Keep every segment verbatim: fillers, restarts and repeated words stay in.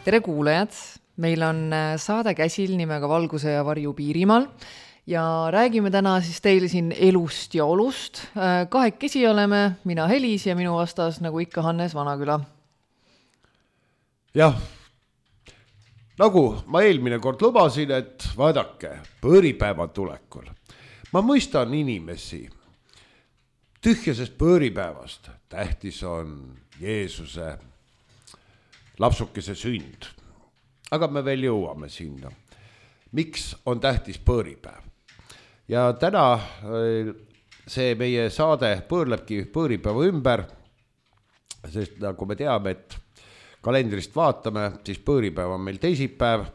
Tere kuulajad, meil on saade käsil nimega Valguse ja varju Piirimaal ja räägime täna siis teile siin elust ja olust. Kahekesi oleme, mina Helis ja minu vastas nagu ikka Hannes Vanaküla. Jah, nagu ma eelmine kord lubasin, et vaadake, pööripäeva tulekul. Ma mõistan inimesi tühjasest pööripäevast. Tähtis on Jeesuse lapsukese sünd. Aga me veel jõuame sinna. Miks on tähtis pööripäev? Ja täna see meie saade pöörlebki pööripäeva ümber, sest nagu me teame, et kalendrist vaatame, siis pööripäev on meil teisipäev.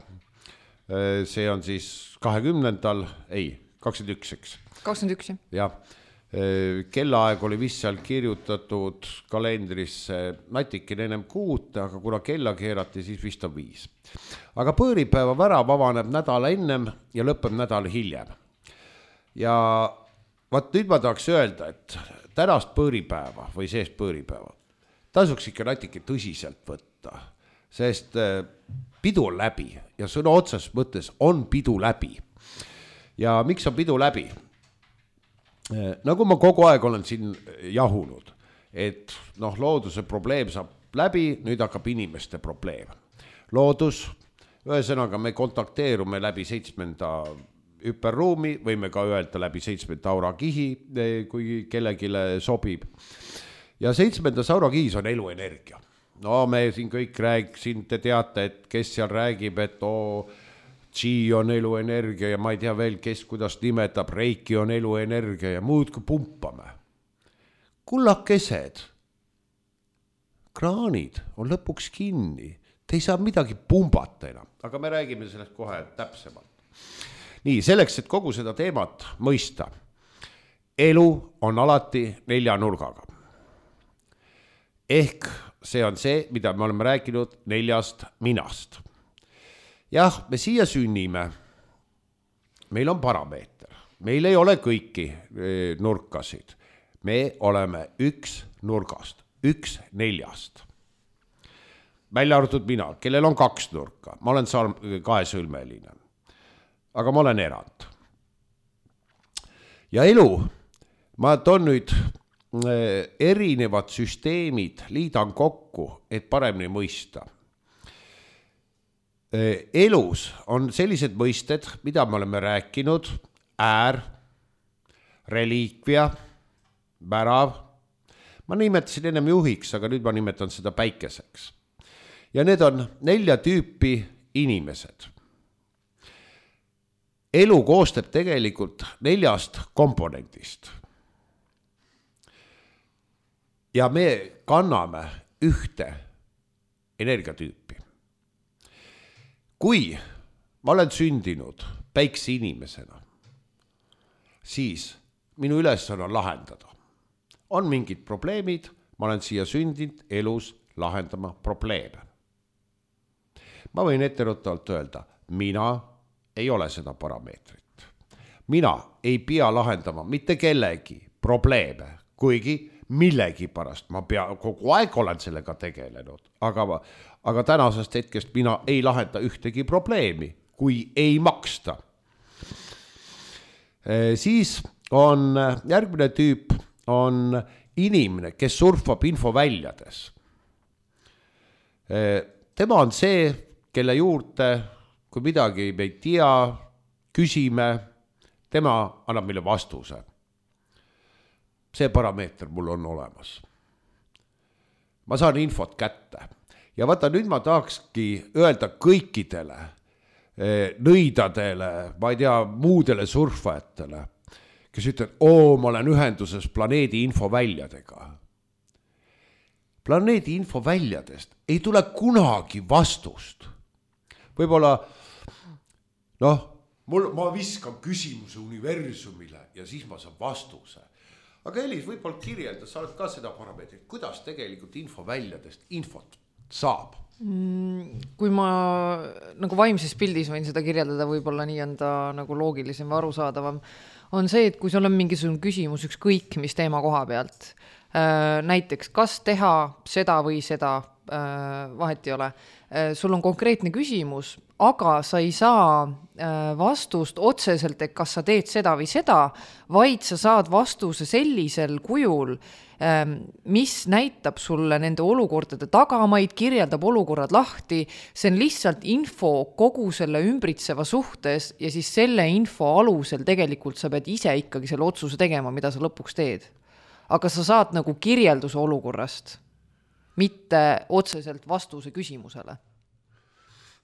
See on siis kahekümnendal, ei, kakskümmend üks, eks? kakskümmend üks, jah. Kellaaeg oli vist seal kirjutatud kalendrisse natikene ennem kuut, aga kuna kella keerati, siis vist on viis. Aga pööripäeva värav avaneb nädala ennem ja lõpeb nädal hiljem. Ja vaat nüüd ma tahaks öelda, et tänast pööripäeva või seest pööripäeva tasuks ikka natike tõsiselt võtta, sest pidu on läbi ja sõna otsas mõttes on pidu läbi. Ja miks on pidu läbi? Nagu ma kogu aeg olen siin jahunud, et noh, looduse probleem saab läbi, nüüd hakkab inimeste probleem. Loodus, ühesõnaga me kontakteerume läbi seitsmenda hüperruumi, võime ka öelda läbi seitsmenda aurakihi, kui kellegile sobib. Ja seitsmendas aurakihis on eluenergia. No me siin kõik rääg, siin te teate, et kes seal räägib, et oo, Chi on eluenergia ja ma ei tea veel, kes kuidas nimetab, Reiki on eluenergia ja muud kui pumpame. Kullakesed, kraanid on lõpuks kinni, te ei saa midagi pumbata enam, aga me räägime sellest kohe täpsemalt. Nii, selleks, et kogu seda teemat mõista, elu on alati nelja nurgaga. Ehk see on see, mida me oleme rääkinud neljast minast. Jah, me siia sünnime, meil on parameeter, meil ei ole kõiki nurkasid, me oleme üks nurgast, üks neljast. Välja arvatud mina, kellel on kaks nurka, ma olen kahesõlmeline, aga ma olen erand. Ja elu, ma toon nüüd erinevad süsteemid, liidan kokku, et paremini mõista. Elus on sellised mõisted, mida me oleme rääkinud, äär, reliikvia, värav. Ma nimetasin ennem juhiks, aga nüüd ma nimetan seda päikeseks. Ja need on nelja tüüpi inimesed. Elu koostab tegelikult neljast komponendist. Ja me kanname ühte energiatüüpi. Kui ma olen sündinud päikse inimesena, siis minu ülesanne on lahendada. On mingid probleemid, ma olen siia sündinud elus lahendama probleeme. Ma võin etteruttavalt öelda, mina ei ole seda parameetrit. Mina ei pea lahendama mitte kellegi probleeme, kuigi millegi pärast ma pea, kogu aeg olen sellega tegelenud, aga, aga tänasest hetkest mina ei lahenda ühtegi probleemi, kui ei maksta. E, siis on järgmine tüüp on inimene, kes surfab infoväljades. E, tema on see, kelle juurde, kui midagi me ei tea, küsime, tema annab meile vastuse. See parameeter mul on olemas. Ma saan infot kätte. Ja vaata, nüüd ma tahakski öelda kõikidele nõidadele, ma ei tea, muudele surfajatele, kes ütlevad, oo, ma olen ühenduses planeedi infoväljadega. Planeedi infoväljadest ei tule kunagi vastust. Võib-olla, noh, mul, ma viskan küsimuse universumile ja siis ma saan vastuse. Aga Elis, võib-olla kirjelda, sa oled ka seda parameetrit, kuidas tegelikult infoväljadest infot saab? Kui ma nagu vaimses pildis võin seda kirjeldada, võib-olla nii on ta nagu loogilisem või arusaadavam, on see, et kui sul on mingisugune küsimus ükskõik mis teema koha pealt, näiteks kas teha seda või seda vahet ei ole. Sul on konkreetne küsimus, aga sa ei saa vastust otseselt, et kas sa teed seda või seda, vaid sa saad vastuse sellisel kujul, mis näitab sulle nende olukordade tagamaid, kirjeldab olukorrad lahti, see on lihtsalt info kogu selle ümbritseva suhtes ja siis selle info alusel tegelikult sa pead ise ikkagi selle otsuse tegema, mida sa lõpuks teed. Aga sa saad nagu kirjelduse olukorrast, mitte otseselt vastuse küsimusele.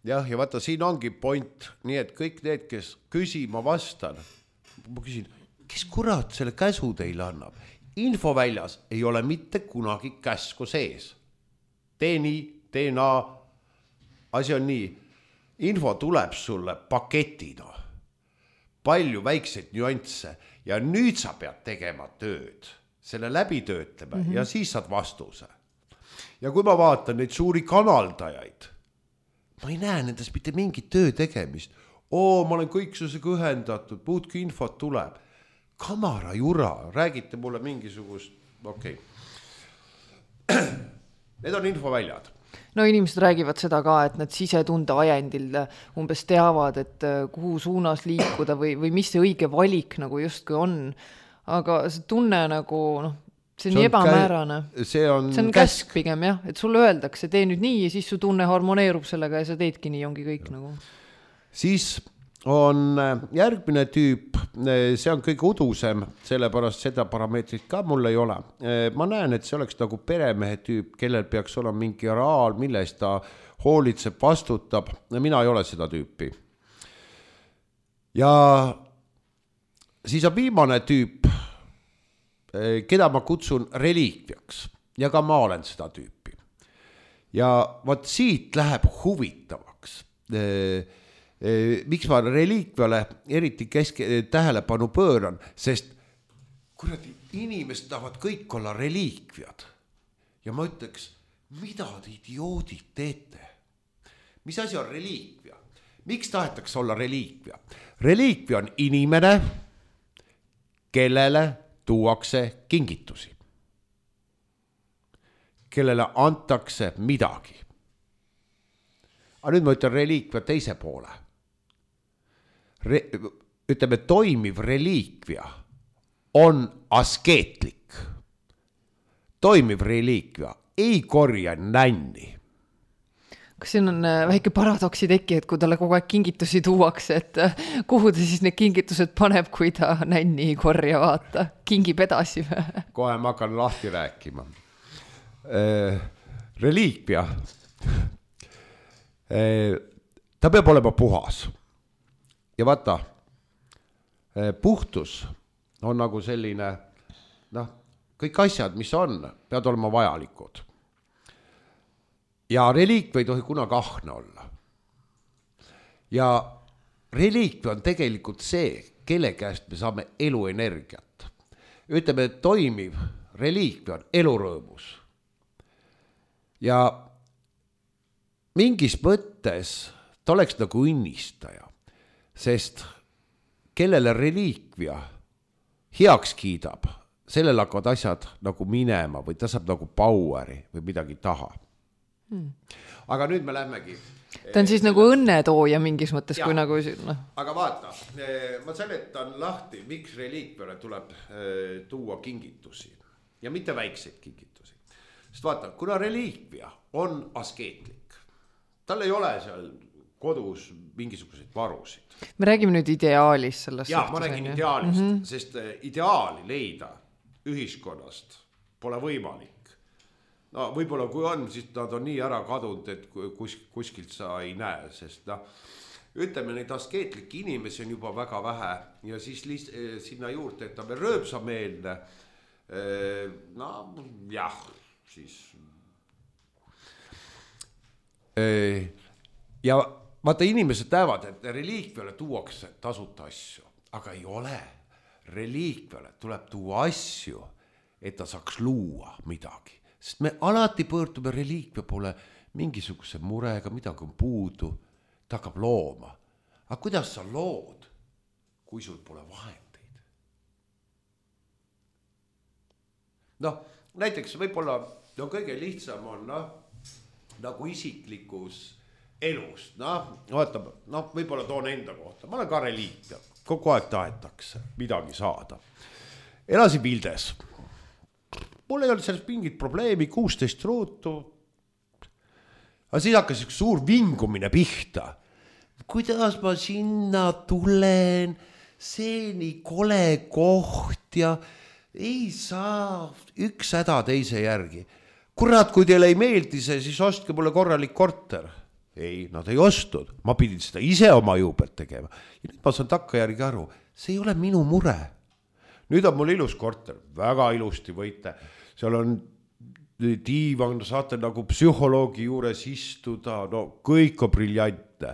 Jah, ja vaata, siin ongi point, nii et kõik need, kes küsima vastan, ma küsin, kes kurat selle käsu teile annab? Info väljas ei ole mitte kunagi käsku sees. Tee nii, tee naa, asi on nii. Info tuleb sulle paketina. Palju väikseid nüansse ja nüüd sa pead tegema tööd, selle läbi töötlema mm-hmm. ja siis saad vastuse. Ja kui ma vaatan neid suuri kanaldajaid, ma ei näe nendest mitte mingit töö tegemist. Oo, ma olen kõiksusega ühendatud, puudki infot tuleb. Kamara jura, räägite mulle mingisugust, okei. Okay. Need on infoväljad. No inimesed räägivad seda ka, et nad sisetunde ajendil umbes teavad, et kuhu suunas liikuda või, või mis see õige valik nagu justkui on. Aga see tunne nagu, noh, see on, see on ebamäärane. Kä- see on, see on käsk. käsk pigem, jah. Et sulle öeldakse, tee nüüd nii ja siis su tunne harmoneerub sellega ja sa teedki nii, ongi kõik ja. Nagu. Siis on järgmine tüüp, see on kõige udusem, sellepärast seda parameetrit ka mul ei ole. Ma näen, et see oleks nagu peremehe tüüp, kellel peaks olema mingi raal, milles ta hoolitseb, vastutab. Mina ei ole seda tüüpi. Ja siis on viimane tüüp, keda ma kutsun reliikviaks. Ja ka ma olen seda tüüpi. Ja vaat siit läheb huvitavaks. Miks ma reliikviale eriti keske, tähelepanu pööran, sest kuradi inimesed tahavad kõik olla reliikviad. Ja ma ütleks, mida te idioodid teete? Mis asi on reliikvia? Miks tahetakse olla reliikvia? Reliikvia on inimene, kellele tuuakse kingitusi. Kellele antakse midagi. Aga nüüd ma ütlen reliikvia teise poole. Re, ütleme, toimiv reliikvia on askeetlik. Toimiv reliikvia ei korja nänni. Kas siin on väike paradoksi teki, et kui talle kogu aeg kingitusi tuuakse, et kuhu ta siis need kingitused paneb, kui ta nänni ei korja, vaata, kingib edasi? Kohe ma hakkan lahti rääkima. Äh, reliikvia, äh, ta peab olema puhas. Ja vaata, puhtus on nagu selline, noh, kõik asjad, mis on, peavad olema vajalikud. Ja reliikvia ei tohi kunagi ahne olla. Ja reliikvia on tegelikult see, kelle käest me saame eluenergiat. Ütleme, et toimiv reliikvia on elurõõmus. Ja mingis mõttes ta oleks nagu õnnistaja. Sest kellele reliikvia heaks kiidab, sellel hakkavad asjad nagu minema või ta saab nagu poweri või midagi taha. Hmm. Aga nüüd me lähmegi. Ta on siis eh, nagu õnnetooja mingis mõttes, jah, kui nagu... No. Aga vaata, eh, ma seletan lahti, miks reliikviale tuleb eh, tuua kingitusi ja mitte väikseid kingitusi. Sest vaata, kuna reliikvia on askeetlik, tal ei ole seal kodus mingisuguseid varusid. Me räägime nüüd ideaalist sellest. Jaa, ma räägin ideaalist, mm-hmm. sest ideaali leida ühiskonnast pole võimalik. No võib-olla kui on, siis nad on nii ära kadunud, et kus, kuskilt sa ei näe, sest no, ütleme, neid askeetlikke inimesi on juba väga vähe ja siis liist, sinna juurde, et ta veel rööpsameelne. No jah, siis... Ja vaata, inimesed näevad, et reliikviale tuuakse tasuta asju, aga ei ole. Reliikviale tuleb tuua asju, et ta saaks luua midagi. Sest me alati pöördume reliikvia poole mingisuguse murega, midagi on puudu, ta hakkab looma. Aga kuidas sa lood, kui sul pole vahendeid? Noh, näiteks võib-olla no, kõige lihtsam on, noh, nagu isiklikus elust, noh, vaata, noh, võib-olla toon enda kohta, ma olen ka reliikvia, kogu aeg tahetakse midagi saada. Elasin Vildes. Mul ei olnud sellest mingit probleemi, kuusteist ruutu. Aga siis hakkas üks suur vingumine pihta. Kuidas ma sinna tulen, see nii kole koht ja ei saa üks häda teise järgi. Kurat, kui teile ei meeldi see, siis ostke mulle korralik korter. Ei, nad ei ostud. Ma pidin seda ise oma juubelt tegema. Ja nüüd ma saan takka järgi aru, see ei ole minu mure. Nüüd on mul ilus korter, väga ilusti võite. Seal on diivan, saate nagu psühholoogi juures istuda, no kõik on briljante.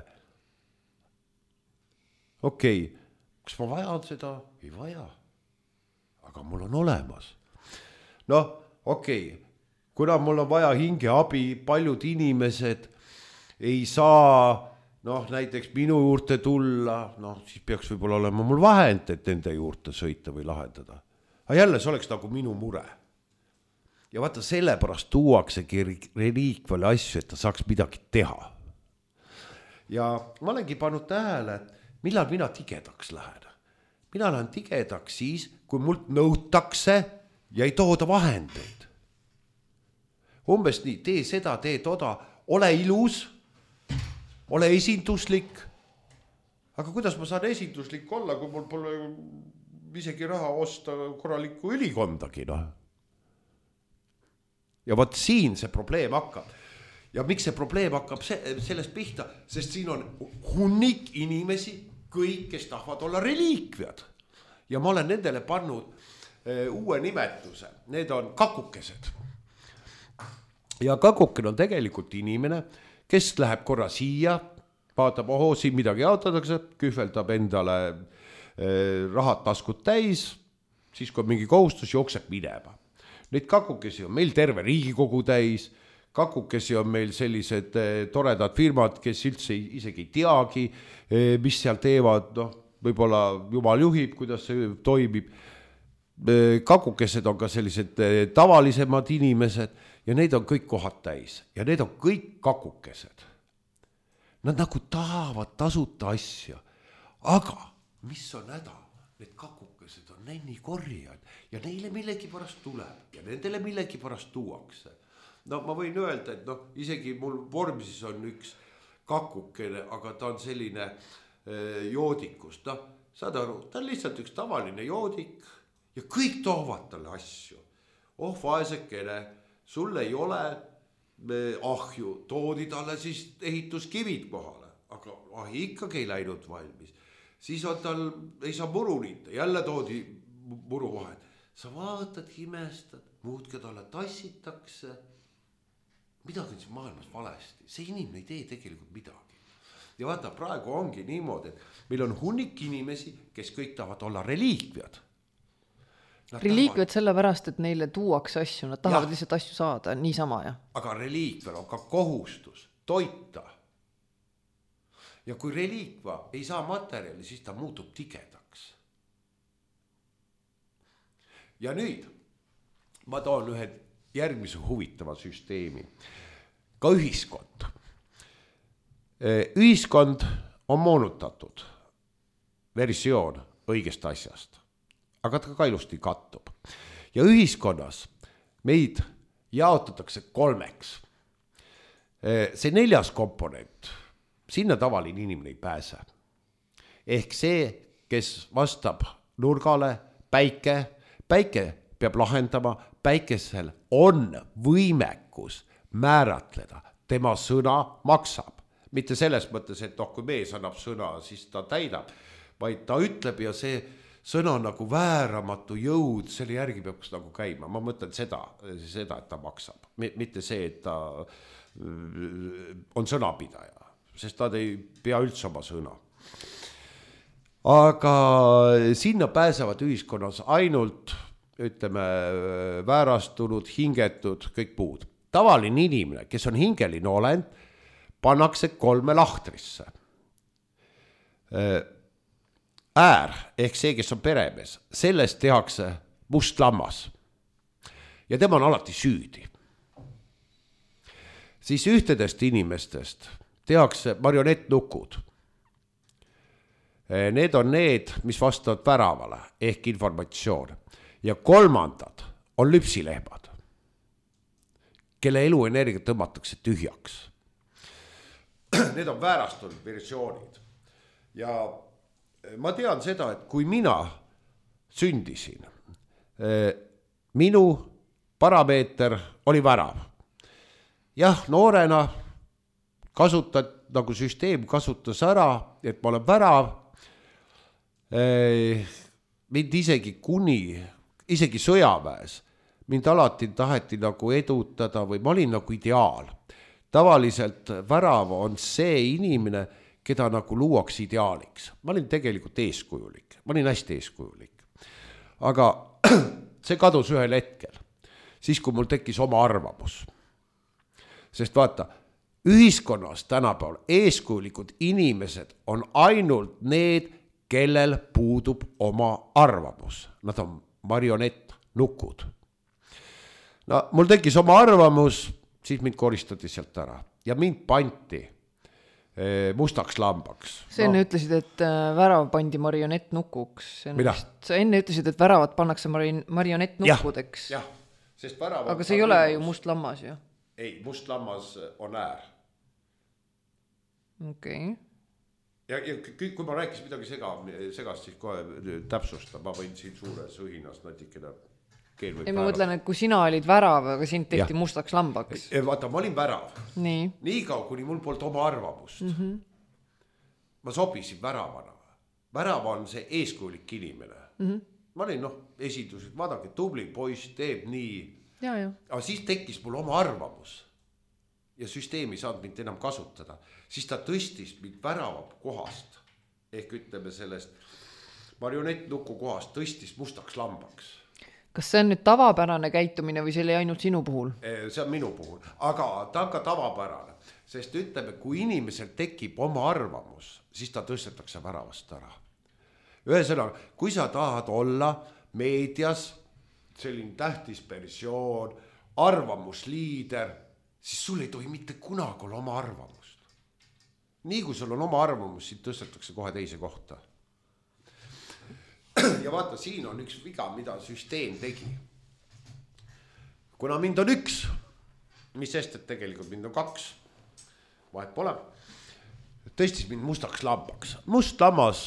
Okei, okay. Kas ma vajan seda? Ei vaja. Aga mul on olemas. No, okei, okay. Kuna mul on vaja hingeabi, paljud inimesed ei saa, noh, näiteks minu juurde tulla, noh, siis peaks võib-olla olema mul vahend, et nende juurde sõita või lahendada. Aga jälle, see oleks nagu minu mure. Ja vaata, sellepärast tuuaksegi reliikvale asju, et ta saaks midagi teha. Ja ma olengi pannud tähele, millal mina tigedaks lähen. Mina lähen tigedaks siis, kui mult nõutakse ja ei tooda vahendeid. Umbes nii, tee seda, tee toda, ole ilus, ole esinduslik. Aga kuidas ma saan esinduslik olla, kui mul pole isegi raha osta korralikku ülikondagi, noh? Ja võt siin see probleem hakkab. Ja miks see probleem hakkab sellest pihta? Sest siin on hunnik inimesi, kõik, kes tahavad olla reliikviad. Ja ma olen nendele pannud uue nimetuse. Need on kakukesed. Ja kakukene on tegelikult inimene, kes läheb korra siia, vaatab, oho, siin midagi jaotatakse, kühveldab endale eh, rahad taskut täis, siis kui mingi kohustus jookseb minema. Neid kakukesi on meil terve Riigikogu täis, kakukesi on meil sellised eh, toredad firmad, kes üldse isegi ei teagi, eh, mis seal teevad, noh, võib-olla jumal juhib, kuidas see toimib. Eh, kakukesed on ka sellised eh, tavalisemad inimesed ja need on kõik kohad täis ja need on kõik kakukesed. Nad nagu tahavad tasuta asja, aga mis on häda? Need kakukesed on nenni korjad ja neile millegi pärast tuleb ja nendele millegi pärast tuuakse. No ma võin öelda, et noh, isegi mul vormisis on üks kakukene, aga ta on selline eh, joodikust. No, saad aru, ta on lihtsalt üks tavaline joodik ja kõik toovad talle asju. Oh, vaesekene, sul ei ole ahju, toodi talle siis ehituskivid kohale, aga ahi ikkagi ei läinud valmis. Siis on tal, ei saa muru niita, jälle toodi muru vahel. Sa vaatad, imestad, muudki talle tassitakse. Midagi on siin maailmas valesti. See inimene ei tee tegelikult midagi. Ja vaata, praegu ongi niimoodi, et meil on hunnik inimesi, kes kõik tahavad olla reliikviad. Reliikviad sellepärast, et neile tuuakse asju, nad tahavad ja. Lihtsalt asju saada, niisama ja. Aga reliikvel on ka kohustus toita. Ja kui reliikva ei saa materjali, siis ta muutub tigedaks. Ja nüüd ma toon ühe järgmise huvitava süsteemi. Ka ühiskond. Ühiskond on moonutatud versioon õigest asjast. Aga ta ka ilusti kattub. Ja ühiskonnas meid jaotatakse kolmeks. See neljas komponent, sinna tavaline inimene ei pääse. Ehk see, kes vastab nurgale, päike, päike peab lahendama, päikesel on võimekus määratleda, tema sõna maksab. Mitte selles mõttes, et oh, kui mees annab sõna, siis ta täidab, vaid ta ütleb ja see sõna on nagu vääramatu jõud, selle järgi peaks nagu käima. Ma mõtlen seda, seda, et ta maksab. Mitte see, et ta on sõnapidaja, sest ta ei pea üldse oma sõna. Aga sinna pääsevad ühiskonnas ainult, ütleme, väärastunud, hingetud, kõik puud. Tavaline inimene, kes on hingeline olend, pannakse kolme lahtrisse. Äär, ehk see, kes on peremees, sellest tehakse must lammas. Ja tema on alati süüdi. siis ühtedest inimestest tehakse marionettnukud. Need on need, mis vastavad väravale ehk informatsioon. Ja kolmandad on lüpsilehmad, kelle eluenergia tõmmatakse tühjaks. Need on väärastunud versioonid. Ja ma tean seda, et kui mina sündisin, minu parameeter oli värav. Jah, noorena kasutad, nagu süsteem kasutas ära, et ma olen värav. Mind isegi kuni, isegi sõjaväes, mind alati taheti nagu edutada või ma olin nagu ideaal. Tavaliselt värav on see inimene, keda nagu luuaks ideaaliks. Ma olin tegelikult eeskujulik, ma olin hästi eeskujulik. Aga see kadus ühel hetkel, siis kui mul tekkis oma arvamus. Sest vaata, ühiskonnas tänapäeval eeskujulikud inimesed on ainult need, kellel puudub oma arvamus. Nad on marionett, nukud. No, mul tekkis oma arvamus, siis mind koristati sealt ära. Ja mind panti mustaks lambaks. Sa enne no. ütlesid, et värav pandi marionett nukuks. Mida? Sa enne ütlesid, et väravad pannakse marionett nukkudeks. Jah, sest värav aga see ei ole ju must lammas ju. Ei, must lammas on äär. Okei. Okay. Ja, ja kui ma rääkis midagi sega, segast, siis kohe täpsusta. Ma võin siin suures õhinas natikene keel või ei, ma mõtlen, et kui sina olid värav, aga sind tehti ja. mustaks lambaks. Vaata, ma olin värav. Nii. Nii kaua, kuni mul polnud oma arvamust. Mm-hmm. Ma sobisin väravana. Värav on see eeskujulik inimene. Mm-hmm. Ma olin, noh, esindused, vaadake, tubli poiss teeb nii. Ja, ja. Aga siis tekkis mul oma arvamus. Ja süsteem ei saanud mind enam kasutada. Siis ta tõstis mind värava kohast. Ehk ütleme sellest marionettnuku kohast tõstis mustaks lambaks. Kas see on nüüd tavapärane käitumine või see oli ainult sinu puhul? See on minu puhul, aga ta on ka tavapärane, sest ütleme, kui inimesel tekib oma arvamus, siis ta tõstetakse väravast ära. Ühesõnaga, kui sa tahad olla meedias selline tähtis persoon, arvamusliider, siis sul ei tohi mitte kunagi olla oma arvamust. Nii kui sul on oma arvamus, siis tõstetakse kohe teise kohta. Ja vaata, siin on üks viga, mida süsteem tegi. Kuna mind on üks, mis sest, et tegelikult mind on kaks, vahet pole, tõstis mind mustaks lambaks. Must lammas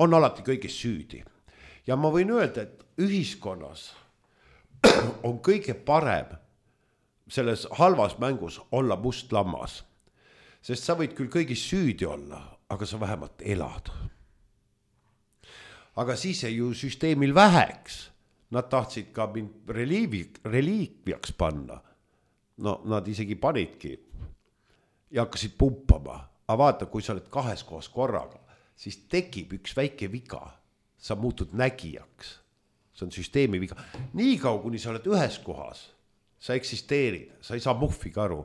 on alati kõigis süüdi. Ja ma võin öelda, et ühiskonnas on kõige parem selles halvas mängus olla must lammas. Sest sa võid küll kõigis süüdi olla, aga sa vähemalt elad. Aga siis ei ju süsteemil väheks. Nad tahtsid ka mind reliikviaks panna. No nad isegi panidki ja hakkasid pumpama. Aga vaata, kui sa oled kahes kohas korraga, siis tekib üks väike viga. Sa muutud nägijaks. See on süsteemi viga. Nii kaua, kuni sa oled ühes kohas, sa eksisteerid, sa ei saa muhviga aru.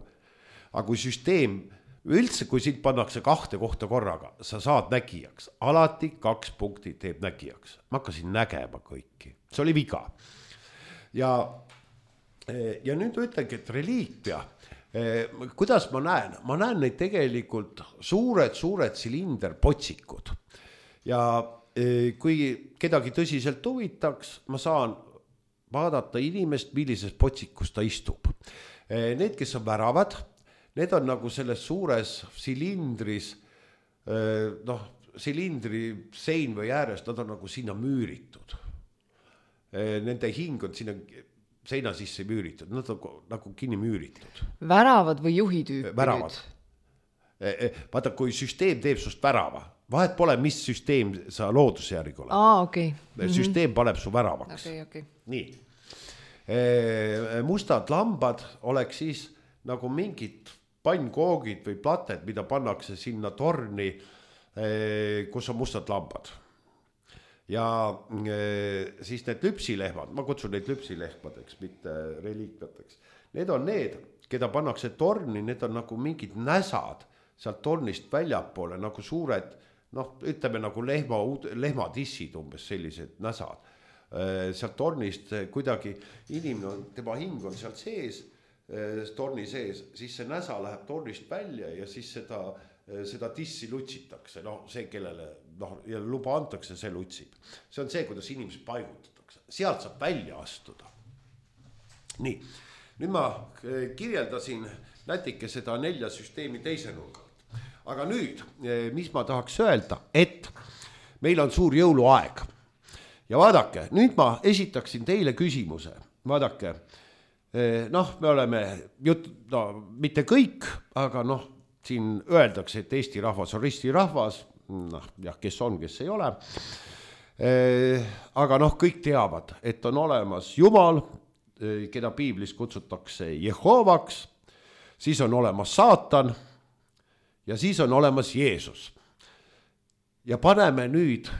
Aga kui süsteem üldse, kui sind pannakse kahte kohta korraga, sa saad nägijaks. Alati kaks punkti teeb nägijaks. Ma hakkasin nägema kõiki. See oli viga. Ja, ja nüüd ütlengi, et reliikvia, kuidas ma näen? Ma näen neid tegelikult suured, suured silinderpotsikud. Ja kui kedagi tõsiselt huvitaks, ma saan vaadata inimest, millises potsikus ta istub. Need, kes on väravad, need on nagu selles suures silindris, noh, silindri sein või ääres, nad on nagu sinna müüritud. Nende hing on sinna seina sisse müüritud, nad on nagu kinni müüritud. Väravad või juhitüüpid? Väravad. Vaata, kui süsteem teeb sust värava, vahet pole, mis süsteem sa loodusjärgi oled. Aa, okei. Okay. Süsteem paneb su väravaks. Okay, okay. Nii. Mustad lambad oleks siis nagu mingid pannkoogid või plated, mida pannakse sinna torni, kus on mustad lambad. Ja siis need lüpsilehmad, ma kutsun neid lüpsilehmadeks, mitte reliikvateks. Need on need, keda pannakse torni, need on nagu mingid näsad sealt tornist väljapoole, nagu suured, noh, ütleme nagu lehma, lehmadissid umbes sellised näsad. Sealt tornist kuidagi inimene, tema hing on sealt sees, torni sees, siis see näsa läheb tornist välja ja siis seda, seda tissi lutsitakse. No see, kellele noh, ja luba antakse, see lutsib. See on see, kuidas inimesed paigutatakse. Sealt saab välja astuda. Nii, nüüd ma kirjeldasin natuke seda nelja süsteemi teise nurgalt. Aga nüüd, mis ma tahaks öelda, et meil on suur jõuluaeg. Ja vaadake, nüüd ma esitaksin teile küsimuse. Vaadake, noh, me oleme jut, no, mitte kõik, aga noh, siin öeldakse, et Eesti rahvas on ristirahvas, noh, jah, kes on, kes ei ole. Aga noh, kõik teavad, et on olemas Jumal, keda piiblis kutsutakse Jehovaks, siis on olemas Saatan ja siis on olemas Jeesus. Ja paneme nüüd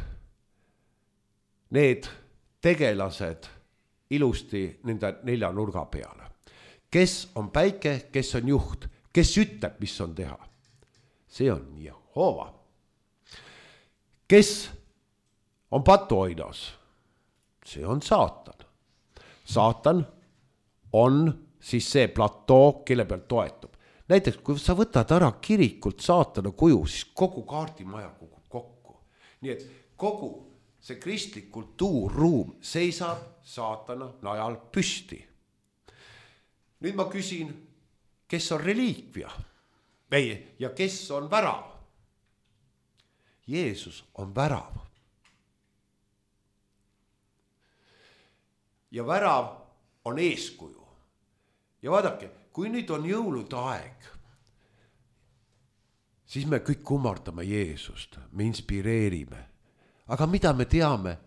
need tegelased ilusti nende nelja nurga peale. Kes on päike, kes on juht, kes ütleb, mis on teha. See on Jehova. Kes on patuoinas? See on Saatan. Saatan on siis see platoo, kelle pealt toetub. Näiteks, kui sa võtad ära kirikult Saatana kuju, siis kogu kaardimaja kukub kokku. Nii et kogu see kristlik kultuurruum seisab Saatana najal püsti. Nüüd ma küsin, kes on reliikvia? Või, ja kes on värav? Jeesus on värav. Ja värav on eeskuju. Ja vaadake, kui nüüd on jõulude aeg, siis me kõik kummardame Jeesust, me inspireerime. Aga mida me teame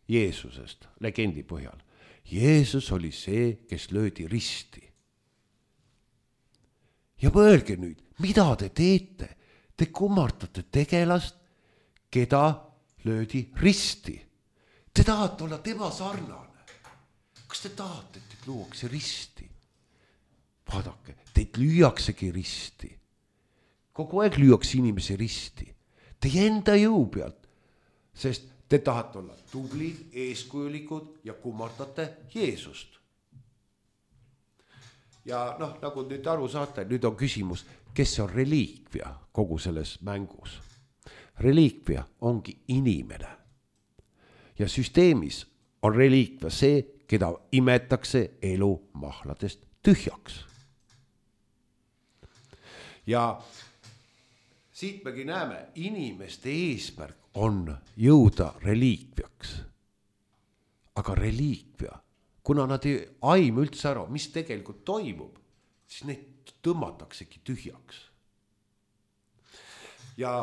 Jeesusest legendi põhjal? Jeesus oli see, kes löödi risti. Ja mõelge nüüd, mida te teete? Te kummardate tegelast, keda löödi risti. Te tahate olla tema sarnane. Kas te tahate, et teid luuakse risti? Vaadake, teid lüüaksegi risti. Kogu aeg lüüakse inimesi risti. Teie enda jõu pealt. Sest te tahate olla tublid, eeskujulikud ja kummardate Jeesust. Ja noh, nagu nüüd aru saate, nüüd on küsimus, kes on reliikvia kogu selles mängus. Reliikvia ongi inimene. Ja süsteemis on reliikvia see, keda imetakse elu mahladest tühjaks. Ja siit megi näeme, inimeste eesmärk on jõuda reliikviaks. Aga reliikvia, kuna nad ei aim üldse ära, mis tegelikult toimub, siis neid tõmmataksegi tühjaks. Ja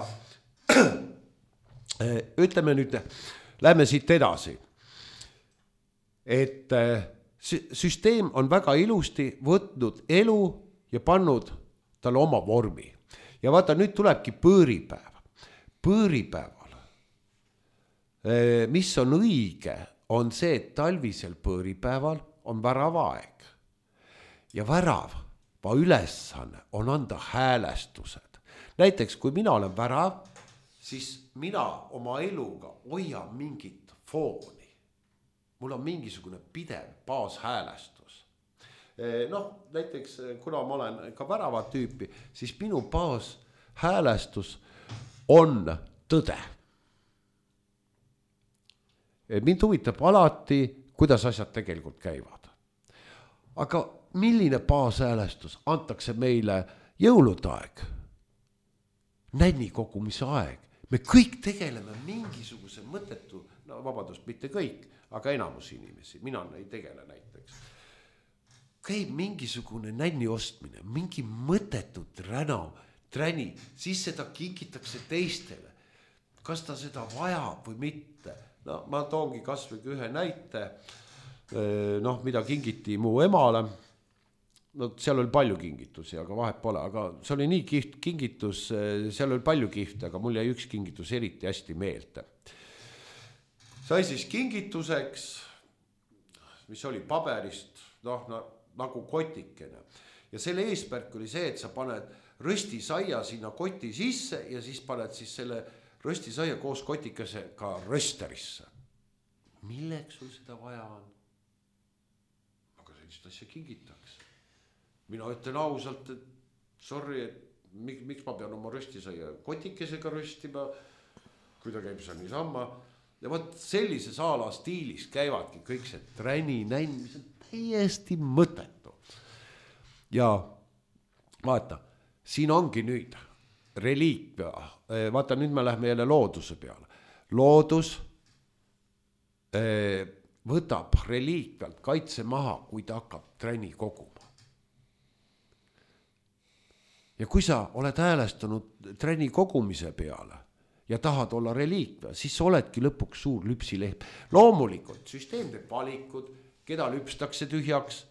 ütleme nüüd, lähme siit edasi. Et süsteem on väga ilusti võtnud elu ja pannud talle oma vormi. Ja vaata, nüüd tulebki pööripäev. Pööripäeval, mis on õige, on see, et talvisel pööripäeval on väravaeg. Ja värava ülesanne on anda häälestused. Näiteks, kui mina olen värav, siis mina oma eluga hoian mingit fooni. Mul on mingisugune pidev baashäälestus. Noh, näiteks, kuna ma olen ka värava tüüpi, siis minu baashäälestus on tõde. Mind huvitab alati, kuidas asjad tegelikult käivad. Aga milline baashäälestus antakse meile jõulude aeg? Nänni kogumise aeg. Me kõik tegeleme mingisuguse mõttetu, no vabandust, mitte kõik, aga enamus inimesi, mina ei tegele näiteks. Käib mingisugune nänni ostmine, mingi mõttetut räna, träni, siis seda kingitakse teistele. Kas ta seda vajab või mitte? No, ma toongi kasvõi ühe näite, noh, mida kingiti mu emale. No, seal oli palju kingitusi, aga vahet pole, aga see oli nii kiht kingitus, seal oli palju kihte, aga mul jäi üks kingitus eriti hästi meelde. Sai siis kingituseks, mis oli paberist, noh, nagu kotikene. Ja selle eesmärk oli see, et sa paned röstisaia sinna koti sisse ja siis paned siis selle röstisaia koos kotikesega rösterisse. Milleks sul seda vaja on? Aga sellist asja kingitakse. mina ütlen ausalt, et sorry, et miks, miks ma pean oma röstisaia kotikesega röstima, kui ta käib seal niisama. Ja võt sellise saala stiilis käivadki kõik see träni, nänn, mis on täiesti mõttetu. Ja vaata, siin ongi nüüd reliikvia. Vaata, nüüd me lähme jälle looduse peale. Loodus võtab reliikvialt kaitse maha, kui ta hakkab träni koguma. Ja kui sa oled häälestunud träni kogumise peale ja tahad olla reliikvia, siis sa oledki lõpuks suur lüpsilehm. Loomulikult süsteem teeb valikud, keda lüpstakse tühjaks,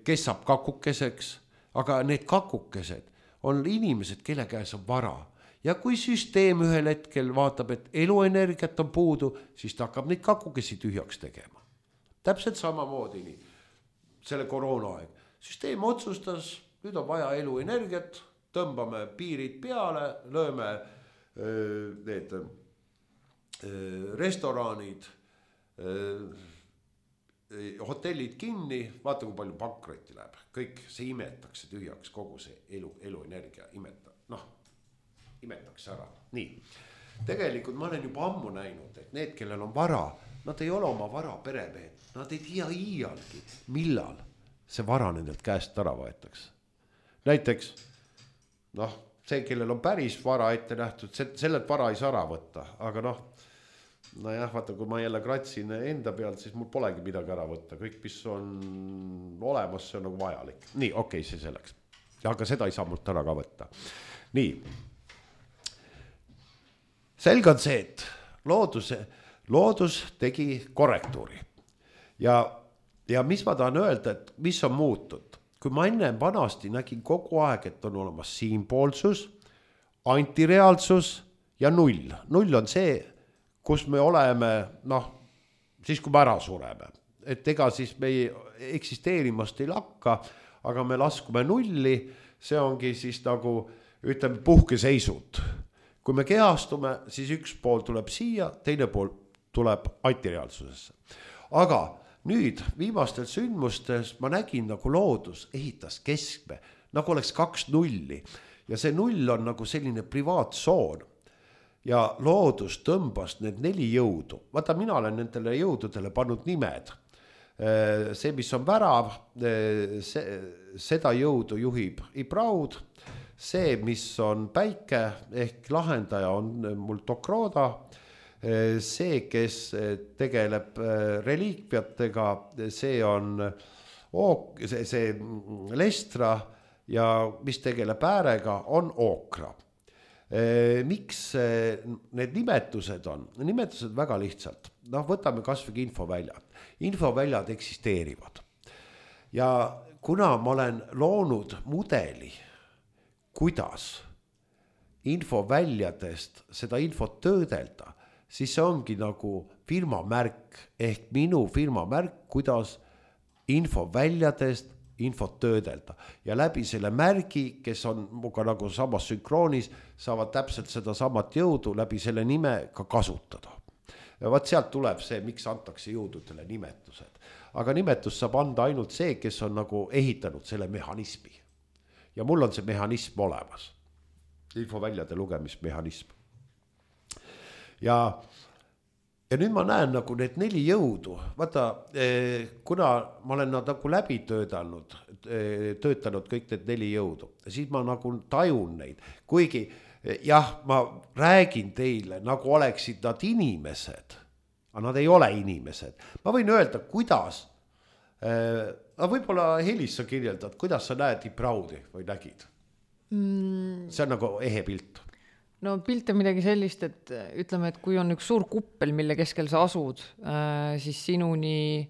kes saab kakukeseks, aga need kakukesed on inimesed, kelle käes on vara. Ja kui süsteem ühel hetkel vaatab, et eluenergiat on puudu, siis ta hakkab neid kakukesi tühjaks tegema. Täpselt samamoodi nii. Selle koroona aeg. Süsteem otsustas, nüüd on vaja eluenergiat, tõmbame piirid peale, lööme öö, need öö, restoranid, öö, hotellid kinni, vaata kui palju pankrotti läheb. Kõik see imetakse tühjaks, kogu see elu, eluenergia imeta, noh, imetakse ära. Nii, tegelikult ma olen juba ammu näinud, et need, kellel on vara, nad ei ole oma vara peremehed, nad ei tea iialgi, millal see vara nendelt käest ära võetakse. Näiteks, noh, see, kellel on päris vara ette nähtud, sellelt vara ei saa ära võtta, aga noh, no jah, vaata, kui ma jälle kratsin enda pealt, siis mul polegi midagi ära võtta. Kõik, mis on olemas, see on nagu vajalik. Nii, okei, okay, see selleks. Aga seda ei saa mult ära ka võtta. Nii. Selge on see, et looduse, loodus tegi korrektuuri. Ja, ja mis ma tahan öelda, et mis on muutud? Kui ma enne vanasti nägin kogu aeg, et on olemas siinpoolsus, antireaalsus ja null. Null on see, kus me oleme, noh, siis kui me ära sureme. Et ega siis me eksisteerimast ei lakka, aga me laskume nulli, see ongi siis nagu, ütleme, puhkeseisud. Kui me kehastume, siis üks pool tuleb siia, teine pool tuleb antireaalsusesse. Aga nüüd viimastel sündmustes ma nägin, nagu loodus ehitas keskme, nagu oleks kaks nulli. Ja see null on nagu selline privaatsoon. Ja loodus tõmbas need neli jõudu. Vaata, mina olen nendele jõududele pannud nimed. See, mis on värav, see, seda jõudu juhib Ibraud. See, mis on päike ehk lahendaja, on mul Tokroda. See, kes tegeleb reliikviatega, see on ook, see, see Lestra ja mis tegeleb äärega, on Ookra. Miks need nimetused on? Nimetused väga lihtsalt. Noh, võtame kas või infoväljad. Infoväljad eksisteerivad. Ja kuna ma olen loonud mudeli, kuidas infoväljadest seda infot töödelda, siis see ongi nagu firma märk ehk minu firma märk, kuidas infoväljadest infot töödelda. Ja läbi selle märgi, kes on muga nagu samas sünkroonis, saavad täpselt seda samat jõudu läbi selle nime ka kasutada. Ja vaat sealt tuleb see, miks antakse jõududele nimetused. Aga nimetus saab anda ainult see, kes on nagu ehitanud selle mehhanismi. Ja mul on see mehhanism olemas. Infoväljade lugemismehhanism. Ja, ja nüüd ma näen nagu need neli jõudu. Vaata, kuna ma olen nad nagu läbi töötanud, töötanud kõik need neli jõudu, siis ma nagu tajun neid. Kuigi jah, ma räägin teile, nagu oleksid nad inimesed, aga nad ei ole inimesed. Ma võin öelda, kuidas, aga võib-olla Helis sa kirjeldad, kuidas sa näed Ibraudi või nägid? Mm. See on nagu ehe pilt. No pilt on midagi sellist, et ütleme, et kui on üks suur kuppel, mille keskel sa asud, siis sinuni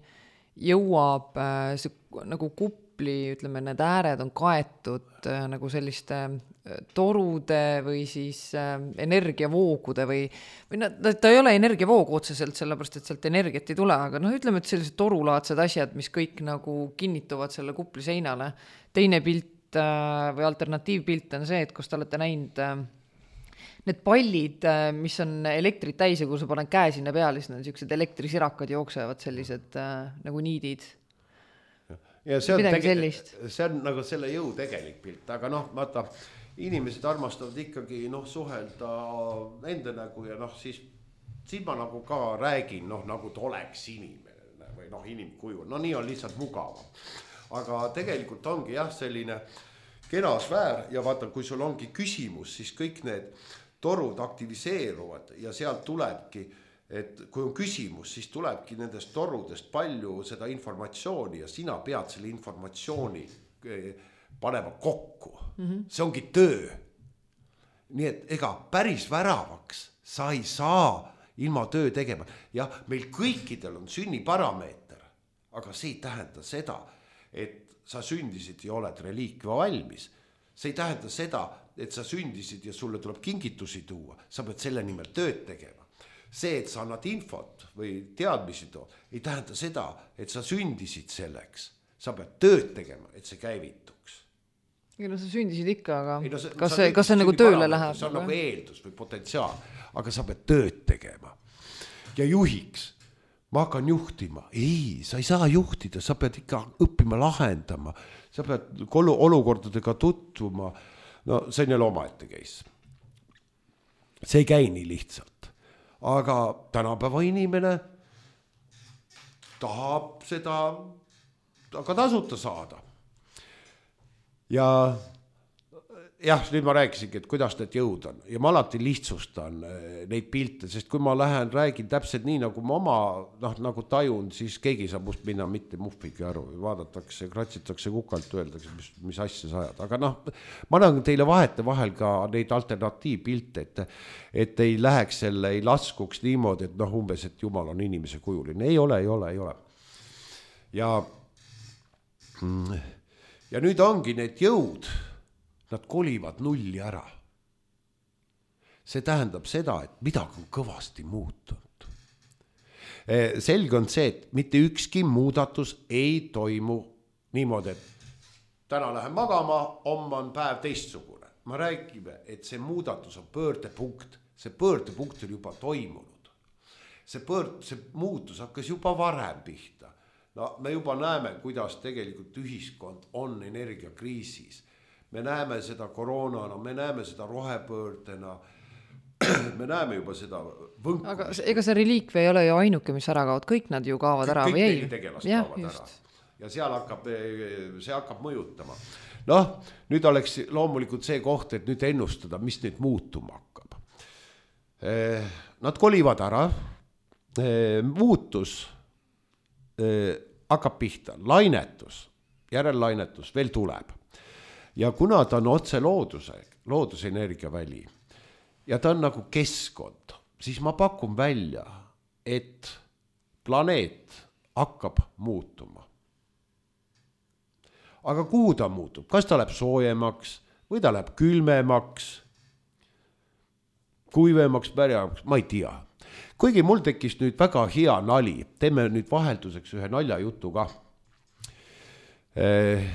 jõuab see nagu kupli, ütleme, need ääred on kaetud nagu selliste torude või siis energiavoogude või, või no, ta ei ole energiavoog otseselt, sellepärast, et sealt energiat ei tule, aga noh, ütleme, et sellised torulaadsed asjad, mis kõik nagu kinnituvad selle kupli seinale. Teine pilt või alternatiivpilt on see, et kus te olete näinud need pallid, mis on elektrit täis ja kui sa panen käe sinna peale, siis need sellised elektrisirakad jooksevad sellised äh, nagu niidid. ja see on, midagi tege... sellist. see on nagu selle jõu tegelik pilt, aga noh, vaata, inimesed armastavad ikkagi noh, suhelda enda nägu ja noh, siis, siis ma nagu ka räägin, noh, nagu ta oleks inimene või noh, inimkuju, no nii on lihtsalt mugavam. Aga tegelikult ongi jah, selline kena sfäär ja vaata, kui sul ongi küsimus, siis kõik need torud aktiviseeruvad ja sealt tulebki, et kui on küsimus, siis tulebki nendest torudest palju seda informatsiooni ja sina pead selle informatsiooni panema kokku. Mm-hmm. See ongi töö. Nii et ega päris väravaks sa ei saa ilma töö tegema. Ja meil kõikidel on sünniparameeter, aga see ei tähenda seda, et sa sündisid ja oled reliikvia valmis. See ei tähenda seda, et sa sündisid ja sulle tuleb kingitusi tuua. Sa pead selle nimel tööd tegema. See, et sa annad infot või teadmisi too, ei tähenda seda, et sa sündisid selleks. Sa pead tööd tegema, et see käivituks. Ja no sa sündisid ikka, aga ei, no, see, kas, see, kas see nagu tööle läheb? See on nagu eeldus või potentsiaal, aga sa pead tööd tegema. Ja juhiks, ma hakkan juhtima. Ei, sa ei saa juhtida, sa pead ikka õppima lahendama. Sa pead olukordadega tutvuma. No see on jälle omaette case. See ei käi nii lihtsalt. Aga tänapäeva inimene tahab seda aga tasuta saada. Ja jah, nüüd ma rääkisingi, et kuidas need jõud on. Ja ma alati lihtsustan neid pilte, sest kui ma lähen, räägin täpselt nii, nagu ma oma noh, nagu tajun, siis keegi saab must minna mitte muhvigi aru. Vaadatakse, kratsitakse kukalt, öeldakse, mis, mis asja sa ajad. Aga noh, ma annan teile vahete vahel ka neid alternatiivpilte, et, et ei läheks selle, ei laskuks niimoodi, et noh, umbes, et Jumal on inimese kujuline. Ei ole, ei ole, ei ole. Ja, ja nüüd ongi need jõud, nad kolivad nulli ära. See tähendab seda, et midagi on kõvasti muutunud. Selge on see, et mitte ükski muudatus ei toimu niimoodi, et täna lähen magama, homme on päev teistsugune. Ma räägime, et see muudatus on pöördepunkt. See pöördepunkt on juba toimunud. See, pöörd, see muutus hakkas juba varem pihta. No, me juba näeme, kuidas tegelikult ühiskond on energiakriisis. Me näeme seda koroonana, me näeme seda rohepöördena, me näeme juba seda võnkumist. Aga ega see reliikvia ei ole ju ainuke, mis ära kaovad, kõik nad ju kaovad ära kõik või ei? Kõik tegelast ja, kaovad just. Ära. Ja seal hakkab, see hakkab mõjutama. Noh, nüüd oleks loomulikult see koht, et nüüd ennustada, mis nüüd muutuma hakkab. Nad kolivad ära, muutus hakkab pihta, lainetus, järellainetus veel tuleb. Ja kuna ta on otse looduse, loodusenergia väli ja ta on nagu keskkond, siis ma pakun välja, et planeet hakkab muutuma. Aga kuhu ta muutub? Kas ta läheb soojemaks või ta läheb külmemaks, kuivemaks, pärjamaks? Ma ei tea. Kuigi mul tekkis nüüd väga hea nali, teeme nüüd vahelduseks ühe naljajutu ka. Eh,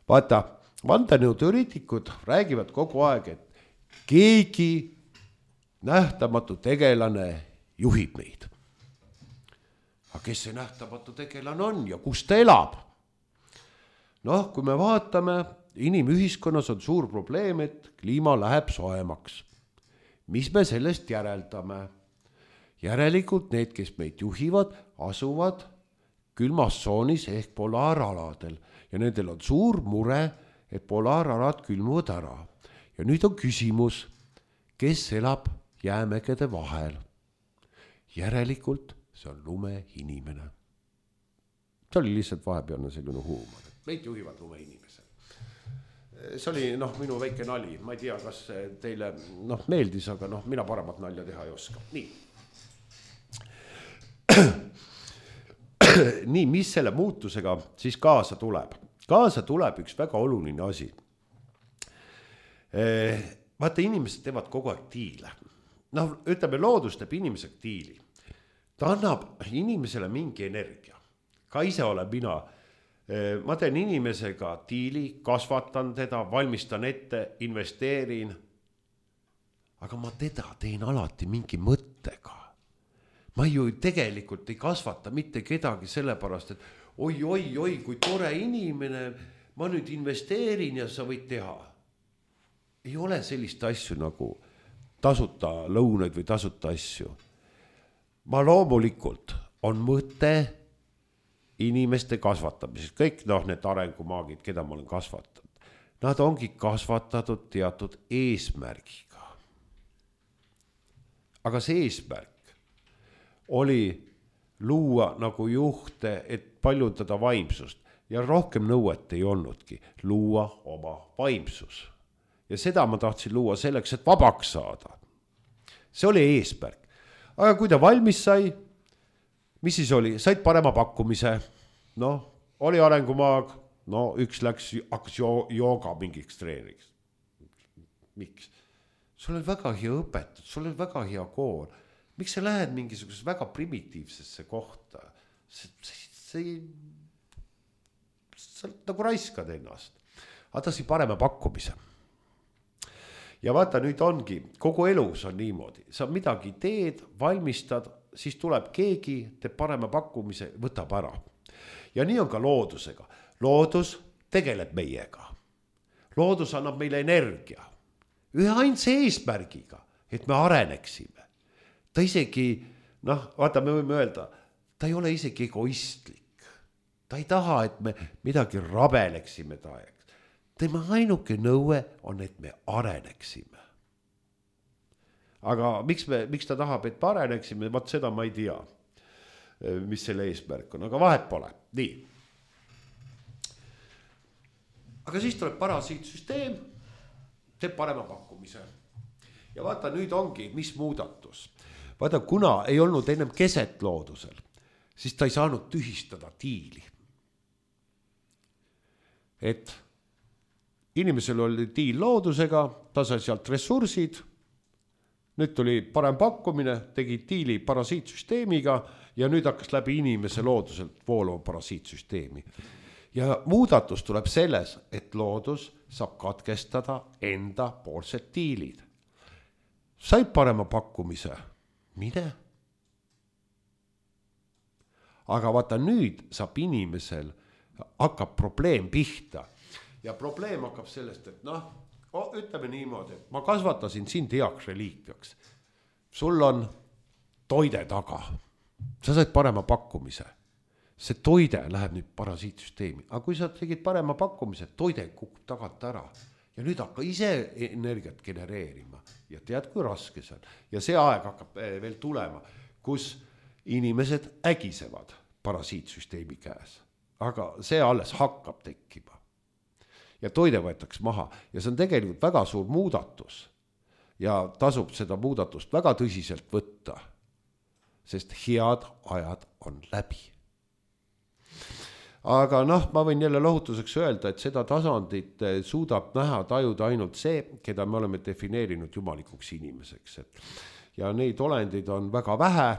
vaata, vandenõuteoreetikud räägivad kogu aeg, et keegi nähtamatu tegelane juhib meid. Aga kes see nähtamatu tegelane on ja kus ta elab? Noh, kui me vaatame, inimühiskonnas on suur probleem, et kliima läheb soemaks. Mis me sellest järeldame? Järelikult need, kes meid juhivad, asuvad külmas tsoonis ehk polaaraladel ja nendel on suur mure, et polaaralad külmuvad ära. Ja nüüd on küsimus, kes elab jäämägede vahel? Järelikult see on lumeinimene. See oli lihtsalt vahepealne selline huumor. Meid juhivad lumeinimesed. See oli noh, minu väike nali. Ma ei tea, kas teile noh, meeldis, aga noh, mina paremat nalja teha ei oska. Nii. Nii, mis selle muutusega siis kaasa tuleb? Kaasa tuleb üks väga oluline asi. Vaata, inimesed teevad kogu aeg diile. Noh, ütleme, loodus teeb inimesega diili. Ta annab inimesele mingi energia. Ka ise olen mina. Ma teen inimesega diili, kasvatan teda, valmistan ette, investeerin. Aga ma teda teen alati mingi mõttega. Ma ju tegelikult ei kasvata mitte kedagi sellepärast, et oi, oi, oi, kui tore inimene, ma nüüd investeerin ja sa võid teha. Ei ole sellist asju nagu tasuta lõunaid või tasuta asju. Ma loomulikult on mõte inimeste kasvatamisest. Kõik noh, need arengumaagid, keda ma olen kasvatanud, nad ongi kasvatatud teatud eesmärgiga. Aga see eesmärk oli luua nagu juhte, et paljundada vaimsust ja rohkem nõuet ei olnudki, luua oma vaimsus. Ja seda ma tahtsin luua selleks, et vabaks saada. See oli eesmärk. Aga kui ta valmis sai, mis siis oli? Said parema pakkumise, no, oli arengumaag, no üks läks, hakkas jooga mingiks treeniks. Miks? Sul on väga hea õpetus, sul on väga hea kool. Miks sa lähed mingisugusesse väga primitiivsesse kohta? See, see, see, sa nagu raiskad ennast. Aga ta sai parema pakkumise. Ja vaata, nüüd ongi, kogu elus on niimoodi. Sa midagi teed, valmistad, siis tuleb keegi, teeb parema pakkumise, võtab ära. Ja nii on ka loodusega. Loodus tegeleb meiega. Loodus annab meile energia. Ühe ainsa eesmärgiga, et me areneksime. Ta isegi, noh, vaata, me võime öelda, ta ei ole isegi egoistlik. Ta ei taha, et me midagi rabeleksime taega. Tema ainuke nõue on, et me areneksime. Aga miks, me, miks ta tahab, et me areneksime, vaat seda ma ei tea, mis selle eesmärk on, aga vahet pole. Nii. Aga siis tuleb parasiitsüsteem, teeb parema pakkumise. Ja vaata, nüüd ongi, mis muudatus. Vaata, kuna ei olnud ennem keset loodusel, siis ta ei saanud tühistada tiili. Et inimesel oli tiil loodusega, ta sai sealt ressursid, nüüd tuli parem pakkumine, tegi tiili parasiitsüsteemiga ja nüüd hakkas läbi inimese looduselt vooluma parasiitsüsteemi. Ja muudatus tuleb selles, et loodus saab katkestada enda poolsed tiilid. Said parema pakkumise, mine. Aga vaata nüüd saab inimesel, hakkab probleem pihta. Ja probleem hakkab sellest, et noh, ütleme niimoodi, et ma kasvatasin sind heaks reliikviaks. Sul on toide taga. Sa said parema pakkumise. See toide läheb nüüd parasiitsüsteemi. Aga kui sa tegid parema pakkumise, toide kukub tagant ära. Ja nüüd hakka ise energiat genereerima. Ja tead, kui raske see on. Ja see aeg hakkab veel tulema, kus inimesed ägisevad parasiitsüsteemi käes. Aga see alles hakkab tekkima. Ja toide võetaks maha ja see on tegelikult väga suur muudatus ja tasub seda muudatust väga tõsiselt võtta, sest head ajad on läbi. Aga noh, ma võin jälle lohutuseks öelda, et seda tasandit suudab näha tajuda ainult see, keda me oleme defineerinud jumalikuks inimeseks. Ja neid olendid on väga vähe,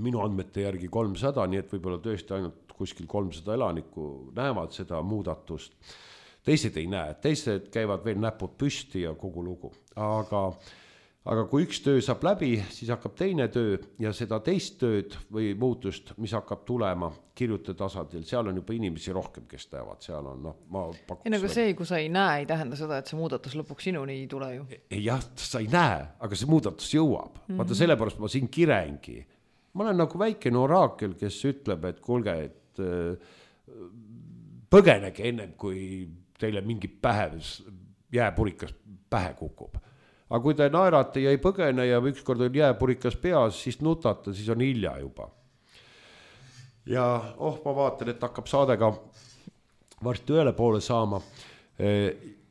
minu andmete järgi kolmsada, nii et võib-olla tõesti ainult kuskil kolmsada elanikku näevad seda muudatust. Teised ei näe, teised käivad veel näpud püsti ja kogu lugu. Aga, aga kui üks töö saab läbi, siis hakkab teine töö ja seda teist tööd või muutust, mis hakkab tulema kirjute tasandil, seal on juba inimesi rohkem, kes näevad, seal on, noh, ma pakuks. Ja nagu see, kui sa ei näe, ei tähenda seda, et see muudatus lõpuks sinuni ei tule ju. Jah, sa ei näe, aga see muudatus jõuab. Mm-hmm. Vaata, sellepärast ma siin kirengi. Ma olen nagu väikene oraakel, kes ütleb, et kuulge, et põgenege ennem, kui teile mingi pähe, jääpurikas pähe kukub. Aga kui te naerate ja ei põgene ja ükskord on jääpurikas peas, siis nutate, siis on hilja juba. Ja oh, ma vaatan, et hakkab saadega varsti ühele poole saama.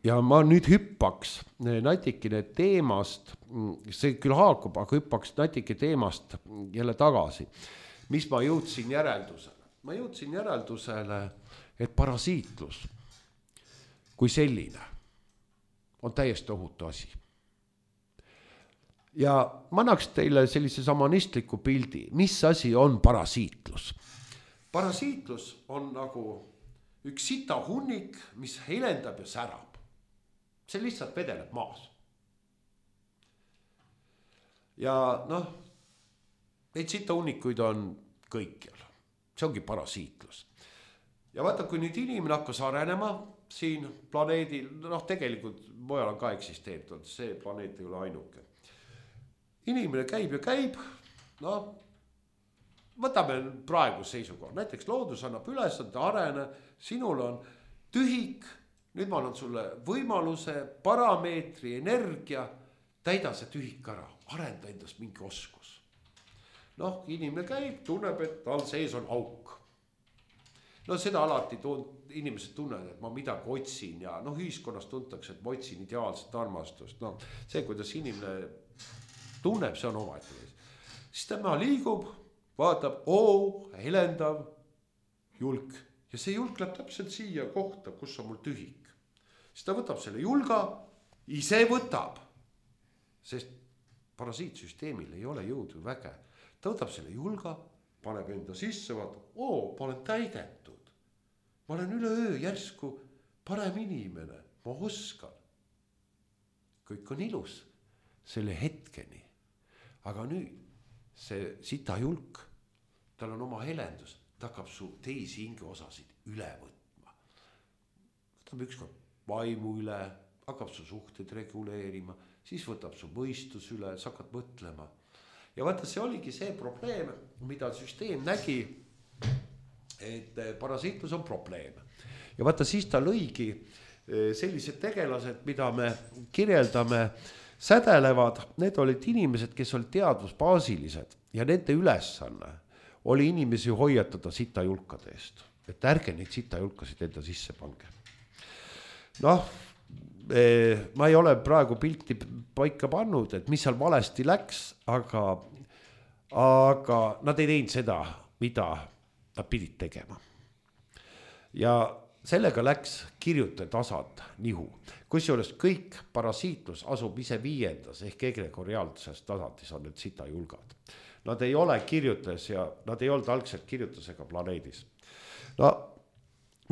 Ja ma nüüd hüppaks natikene teemast, see küll haakub, aga hüppaks natike teemast jälle tagasi. Mis ma jõudsin järeldusele? Ma jõudsin järeldusele, et parasiitlus kui selline on täiesti ohutu asi. Ja ma annaks teile sellise samanistliku pildi, mis asi on parasiitlus. Parasiitlus on nagu üks sita hunnik, mis helendab ja särab. See lihtsalt vedeleb maas. Ja noh, neid sita hunnikuid on kõikjal. see ongi parasiitlus. Ja vaata, kui nüüd inimene hakkas arenema siin planeedil, noh tegelikult mujal on ka eksisteeritud, see planeet ei ole ainuke. Inimene käib ja käib, noh, võtame praegu seisukoha, näiteks loodus annab üles, et arene, sinul on tühik, nüüd ma annan sulle võimaluse, parameetri, energia, täida see tühik ära, arenda endast mingi oskus. Noh, inimene käib, tunneb, et tal sees on auk. No seda alati tund, inimesed tunnevad, et ma midagi otsin ja noh, ühiskonnas tuntakse, et ma otsin ideaalset armastust. No, see, kuidas inimene tunneb, see on omaette. Siis tema liigub, vaatab, oo, helendav julk. Ja see julk läheb täpselt siia kohta, kus on mul tühik. Siis ta võtab selle julga, ise võtab. Sest parasiitsüsteemil ei ole jõudu väge. Ta võtab selle julga, paneb enda sisse, vaatab, oo, ma olen täidetud. Ma olen üle öö järsku parem inimene, ma oskan. Kõik on ilus selle hetkeni. Aga nüüd see sita julk, tal on oma helendus, ta hakkab su teisi hingeosasid üle võtma. Võtab ükskord vaimu üle, hakkab su suhted reguleerima, siis võtab su mõistus üle, sa hakkad mõtlema. Ja vaata, see oligi see probleem, mida süsteem nägi, et parasiitlus on probleem. Ja vaata, siis ta lõigi sellised tegelased, mida me kirjeldame, sädelevad, need olid inimesed, kes olid teadvusbaasilised ja nende ülesanne oli inimesi hoiatada sitajulkade eest. Et ärge neid sitajulkasid enda sisse pange. Noh, ma ei ole praegu pilti paika pannud, et mis seal valesti läks, aga, aga nad ei teinud seda, mida nad pidid tegema. Ja sellega läks kirjutaja tasand nihu. Kusjuures kõik parasiitlus asub ise viiendas ehk egregoriaalses tasandis on need sitajulgad. Nad ei ole kirjutajas ja nad ei olnud algselt kirjutusega planeedis. No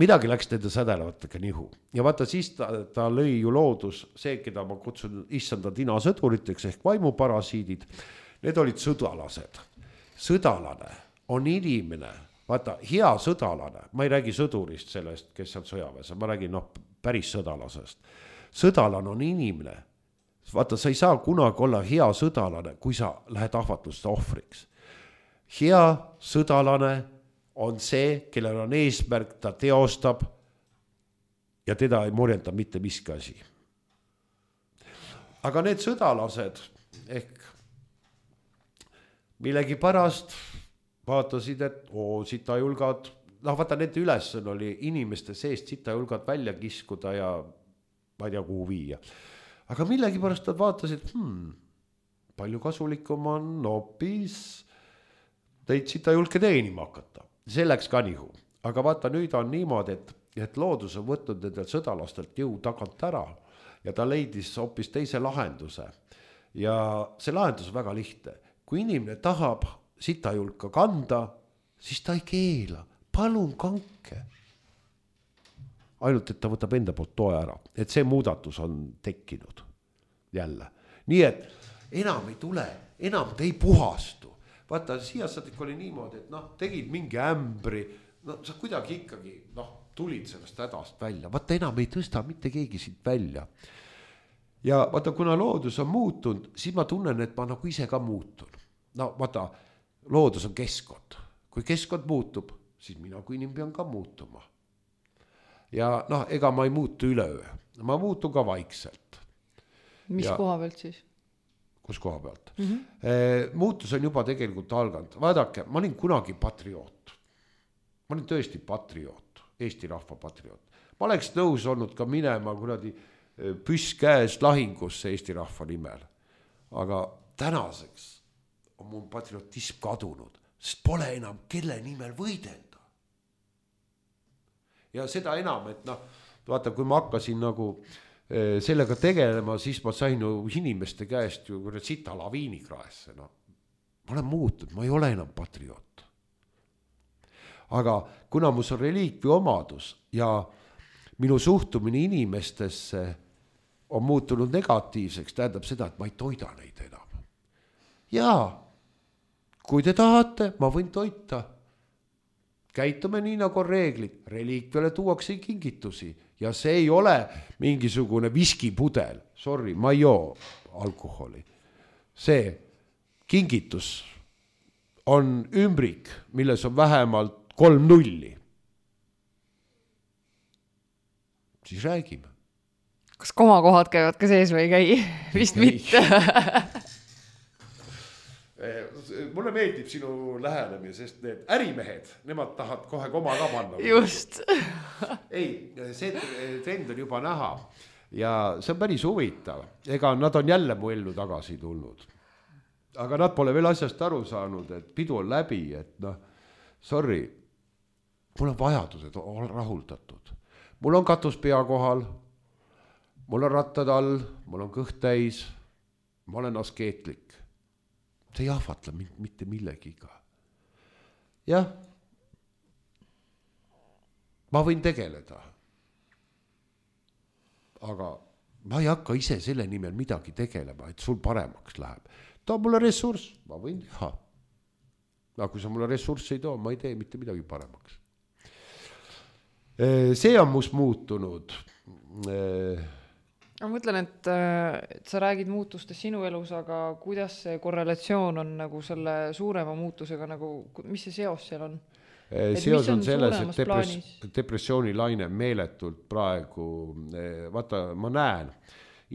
midagi läks nende sädelevatega nihu. Ja vaata siis ta, ta lõi ju loodus, see, keda ma kutsun issanda tinasõduriteks ehk vaimuparasiidid, need olid sõdalased. Sõdalane on inimene, vaata hea sõdalane, ma ei räägi sõdurist sellest, kes on sõjaväes, ma räägin noh, päris sõdalasest. Sõdalane on inimene, vaata sa ei saa kunagi olla hea sõdalane, kui sa lähed ahvatluste ohvriks. Hea sõdalane on see, kellel on eesmärk, ta teostab ja teda ei morjenda mitte miski asi. Aga need sõdalased ehk millegi pärast vaatasid, et oo, sitajulgad, noh vaata nende ülesanne oli inimeste seest sitajulgad välja kiskuda ja ma ei tea kuhu viia. Aga millegi pärast nad vaatasid, hmm, palju kasulikum on hoopis teid sitajulke teenima hakata. See läks ka nihu. Aga vaata nüüd on niimoodi, et, et loodus on võtnud nendel sõdalastelt jõu tagant ära ja ta leidis hoopis teise lahenduse. Ja see lahendus on väga lihtne. Kui inimene tahab sitajulka kanda, siis ta ei keela. Palun kanke. Ainult, et ta võtab enda poolt toe ära. Et see muudatus on tekkinud jälle. Nii et enam ei tule, enam te ei puhastu. Vaata, siia saadik oli niimoodi, et noh, tegid mingi ämbri, no sa kuidagi ikkagi noh, tulid sellest hädast välja. Vaata, enam ei tõsta mitte keegi siit välja. Ja vaata, kuna loodus on muutunud, siis ma tunnen, et ma nagu ise ka muutun. No vaata, loodus on keskkond. Kui keskkond muutub, siis mina kui inimene pean ka muutuma. Ja noh, ega ma ei muutu üleöö. Ma muutun ka vaikselt. Mis ja koha pealt siis? Kus koha pealt. Mm-hmm. Muutus on juba tegelikult alganud. Vaadake, ma olin kunagi patrioot. Ma olin tõesti patrioot, Eesti rahva patrioot. Ma oleks nõus olnud ka minema kuradi püss käes lahingusse Eesti rahva nimel. Aga tänaseks on mul patriotism kadunud, sest pole enam kelle nimel võidelda. Ja seda enam, et noh, vaata, kui ma hakkasin nagu sellega tegelema, siis ma sain ju inimeste käest ju sita laviini kraesse. No. Ma olen muutunud, ma ei ole enam patrioot. Aga kuna mus on reliikvi omadus ja minu suhtumine inimestesse on muutunud negatiivseks, tähendab seda, et ma ei toida neid enam. Ja kui te tahate, ma võin toita. käitume nii nagu on reeglid, reliikviale tuuakse kingitusi ja see ei ole mingisugune viskipudel, sorry, ma ei joo alkoholi. See kingitus on ümbrik, milles on vähemalt kolm nulli. Siis räägime. Kas komakohad käivad ka sees või ei käi? Vist ei. Mitte. Mulle meeldib sinu lähenemine, sest need ärimehed, nemad tahavad kohe koma ka panna. Just. Ei, see trend on juba näha ja see on päris huvitav. Ega nad on jälle mu ellu tagasi tulnud. Aga nad pole veel asjast aru saanud, et pidu on läbi, et noh, sorry, mul on vajadused rahuldatud. Mul on katus pea kohal, mul on rattad all, mul on kõht täis, ma olen askeetlik. See ei ahvatla mitte millegiga. Jah, ma võin tegeleda. Aga ma ei hakka ise selle nimel midagi tegelema, et sul paremaks läheb. Too mulle ressurss, ma võin teha. Aga kui sa mulle ressurssi ei too, ma ei tee mitte midagi paremaks. See on must muutunud. Ma mõtlen, et, et sa räägid muutustest sinu elus, aga kuidas see korrelatsioon on nagu selle suurema muutusega, nagu, mis see seos seal on? Et seos on, on selles, et depress, depressioonilaine meeletult praegu, vaata, ma näen,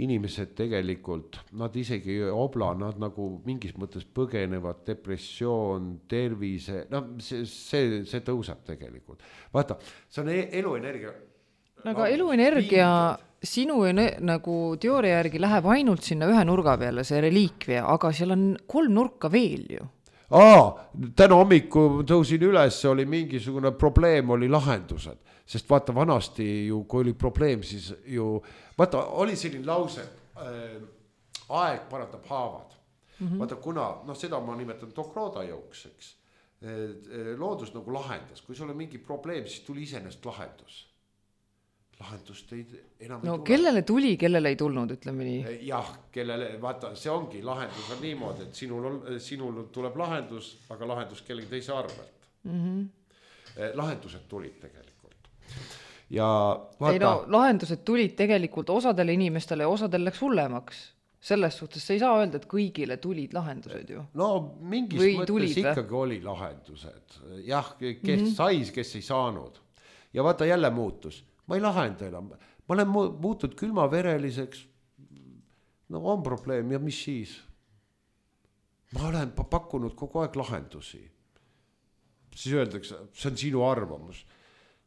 inimesed tegelikult, nad isegi obla, nad nagu mingis mõttes põgenevad, depressioon, tervise, no see, see, see tõuseb tegelikult. Vaata, see on eluenergia. No, aga eluenergia sinu nagu teooria järgi läheb ainult sinna ühe nurga peale, see reliikvia, aga seal on kolm nurka veel ju. Aa, täna hommiku tõusin üles, oli mingisugune probleem, oli lahendused. Sest vaata vanasti ju, kui oli probleem, siis ju, vaata, oli selline lause, äh, aeg parandab haavad. Mm-hmm. Vaata, kuna, noh, seda ma nimetan Tokroda jõuks, eks. Loodus nagu lahendas, kui sul on mingi probleem, siis tuli iseenest lahendus. Lahendust ei, enam no ei tule. Kellele tuli, kellele ei tulnud, ütleme nii? Jah, kellele, vaata, see ongi, lahendus on niimoodi, et sinul, on, sinul tuleb lahendus, aga lahendus kellegi teise arvelt. Mm-hmm. Lahendused tulid tegelikult. Ja vaata... Ei no, lahendused tulid tegelikult osadele inimestele ja osadel läks hullemaks. Selles suhtes sa ei saa öelda, et kõigile tulid lahendused ju. No mingis või mõttes tulid, ikkagi või? Oli lahendused. Jah, kes mm-hmm. sais, kes ei saanud. Ja vaata jälle muutus. Ma ei lahenda enam. Ma olen muutud külmavereliseks. No on probleem ja mis siis? Ma olen pakkunud kogu aeg lahendusi. Siis öeldakse, see on sinu arvamus.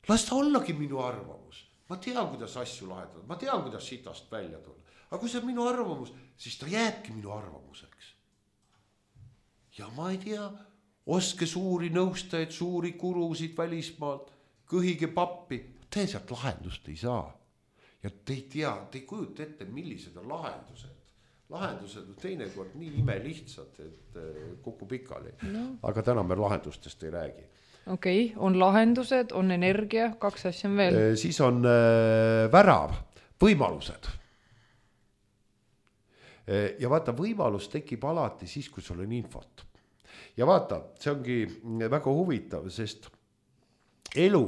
Las ta ollagi minu arvamus. Ma tean, kuidas asju lahendada. Ma tean, kuidas sitast välja tulla. Aga kui see on minu arvamus, siis ta jääbki minu arvamuseks. Ja ma ei tea, oske suuri nõustajaid, suuri kurusid välismaalt, kõhige pappi. Te sealt lahendust ei saa. Ja te ei tea, te ei kujuta ette, millised on lahendused. Lahendused on teinekord nii ime lihtsad, et kokku pikali. No. Aga täna me lahendustest ei räägi. Okei, okay. On lahendused, on energia, kaks asja on veel. E, siis on äh, värav, võimalused. E, ja vaata, võimalus tekib alati siis, kui sul on infot. Ja vaata, see ongi väga huvitav, sest elu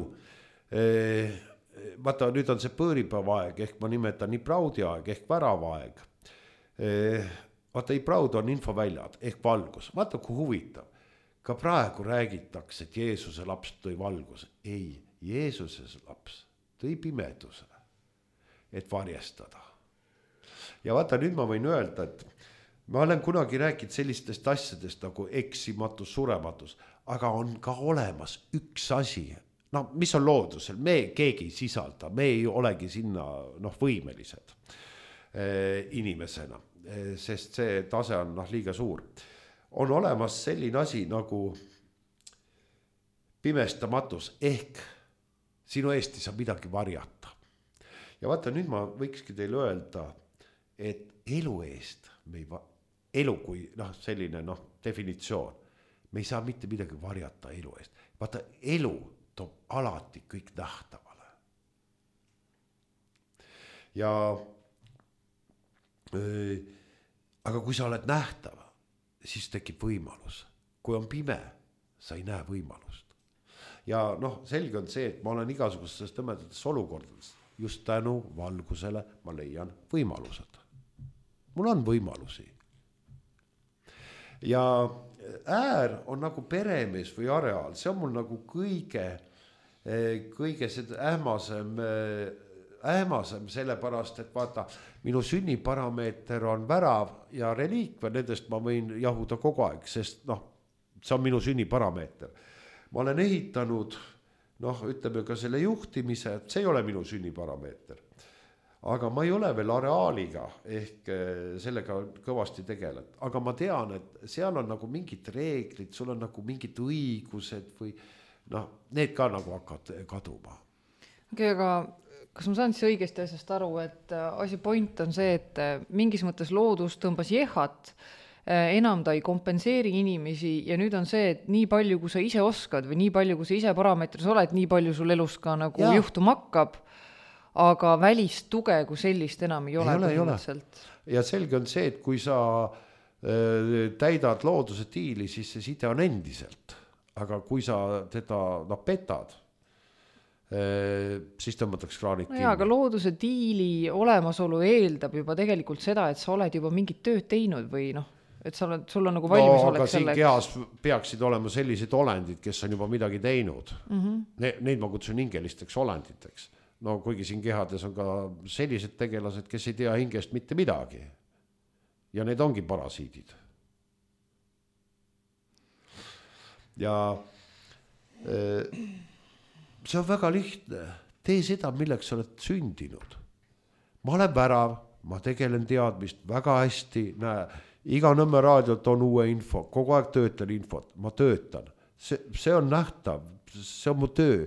vaata, nüüd on see põõripäevaeg, ehk ma nimetan nii praudi aeg, ehk väravaeg. Vaata, ei praud on infoväljad, ehk valgus. Vaata, kui huvitav. Ka praegu räägitakse, et Jeesuse laps tõi valguse. Ei, Jeesuse laps tõi pimeduse, et varjestada. Ja vaata, nüüd ma võin öelda, et ma olen kunagi rääkinud sellistest asjadest nagu eksimatus, surematus, aga on ka olemas üks asi. No, mis on loodusel? Me keegi ei sisalda, me ei olegi sinna noh, võimelised eh, inimesena, eh, sest see tase on noh, liiga suur. On olemas selline asi nagu pimestamatus, ehk sinu eest ei saa midagi varjata. Ja vaata, nüüd ma võikski teile öelda, et elu eest, me ei va- elu kui noh, selline noh, definitsioon, me ei saa mitte midagi varjata elu eest. Vaata, elu toob alati kõik nähtavale. Ja äh, aga kui sa oled nähtav, siis tekib võimalus. Kui on pime, sa ei näe võimalust. ja noh, selge on see, et ma olen igasugustes tõmedates olukordades, just tänu valgusele ma leian võimalused. Mul on võimalusi. Ja äär on nagu peremees või areaal, see on mul nagu kõige, kõige seda ähmasem, ähmasem sellepärast, et vaata, minu sünniparameeter on värav ja reliikvia, nendest ma võin jahuda kogu aeg, sest noh, see on minu sünniparameeter. Ma olen ehitanud, noh, ütleme ka selle juhtimise, see ei ole minu sünniparameeter. Aga ma ei ole veel areaaliga ehk sellega kõvasti tegeled. Aga ma tean, et seal on nagu mingid reeglid, sul on nagu mingid õigused või noh, need ka nagu hakkavad kaduma. Okei, aga kas ma saan siis õigesti asjast aru, et asi point on see, et mingis mõttes loodus tõmbas jehat, enam ta ei kompenseeri inimesi ja nüüd on see, et nii palju, kui sa ise oskad või nii palju, kui sa ise parameetris oled, nii palju sul elus ka nagu ja. Juhtuma hakkab, aga välist tuge kui sellist enam ei ole. Ei ole, ei ole. Ja selge on see, et kui sa äh, täidad looduse tiili, siis see side on endiselt. Aga kui sa teda no, petad, äh, siis tõmmatakse kraanid no. Ja, aga looduse tiili olemasolu eeldab juba tegelikult seda, et sa oled juba mingit tööd teinud või noh, et sa oled, sul on nagu valmis no, oleks selleks. No, aga siin kehas peaksid olema sellised olendid, kes on juba midagi teinud. Mm-hmm. Ne, neid ma kutsun hingelisteks olenditeks. No kuigi siin kehades on ka sellised tegelased, kes ei tea hingest mitte midagi. Ja need ongi parasiidid. Ja see on väga lihtne. Tee seda, milleks sa oled sündinud. Ma olen värav, ma tegelen teadmist väga hästi, näe, iga Nõmme raadiot on uue info, kogu aeg töötan infot, ma töötan. See, see on nähtav, see on mu töö.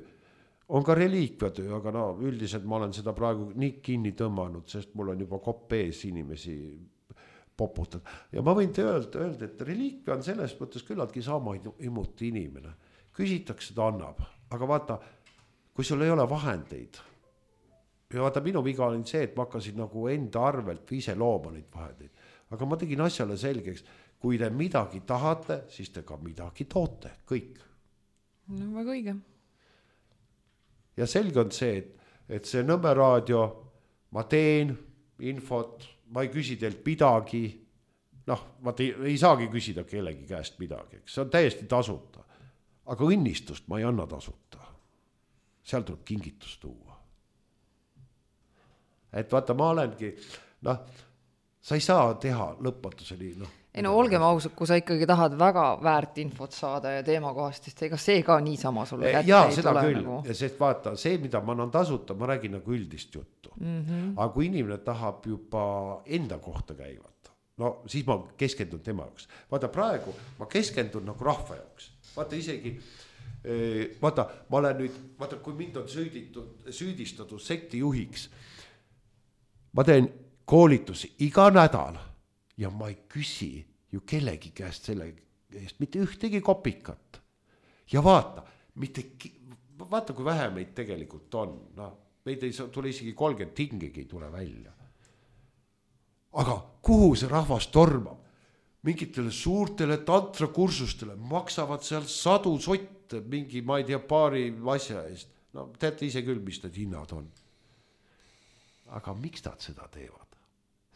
On ka reliikviatöö, aga no üldiselt ma olen seda praegu nii kinni tõmmanud, sest mul on juba kopp ees inimesi poputad. Ja ma võin te öelda, öelda, et reliikvia on selles mõttes küllaltki sama imuti inimene. Küsitakse, ta annab, aga vaata, kui sul ei ole vahendeid, ja vaata, minu viga oli see, et ma hakkasin nagu enda arvelt või ise looma neid vahendeid. Aga ma tegin asjale selgeks, kui te midagi tahate, siis te ka midagi toote, kõik. No väga õige. Ja selge on see, et, et see Nõmme raadio, ma teen infot, ma ei küsi teilt midagi, noh, ma te, ei saagi küsida kellegi käest midagi, see on täiesti tasuta, aga õnnistust ma ei anna tasuta, seal tuleb kingitus tuua. Et vaata, ma olengi, noh, sa ei saa teha lõpmatuseni, noh. Ei no olgem ausad, kui sa ikkagi tahad väga väärt infot saada ja teemakohast, siis ega see ka niisama sulle kätte ja, ei seda tule. Küll. Nagu... Sest vaata, see, mida ma annan tasuta, ma räägin nagu üldist juttu. Mm-hmm. Aga kui inimene tahab juba enda kohta käivat, no siis ma keskendun tema jaoks. Vaata praegu, ma keskendun nagu rahva jaoks. Vaata isegi, vaata, ma olen nüüd, vaata kui mind on süüditud, süüdistatud sekti juhiks, ma teen koolitusi iga nädal. Ja ma ei küsi ju kellegi käest selle eest, mitte ühtegi kopikat. Ja vaata, mitte, vaata kui vähe meid tegelikult on. No, meid ei tule isegi kolmkümmend tingegi ei tule välja. Aga kuhu see rahvas tormab? Mingitele suurtele tantrakursustele maksavad seal sadu sotte mingi, ma ei tea, paari asja eest. No teate ise küll, mis need hinnad on. Aga miks nad seda teevad?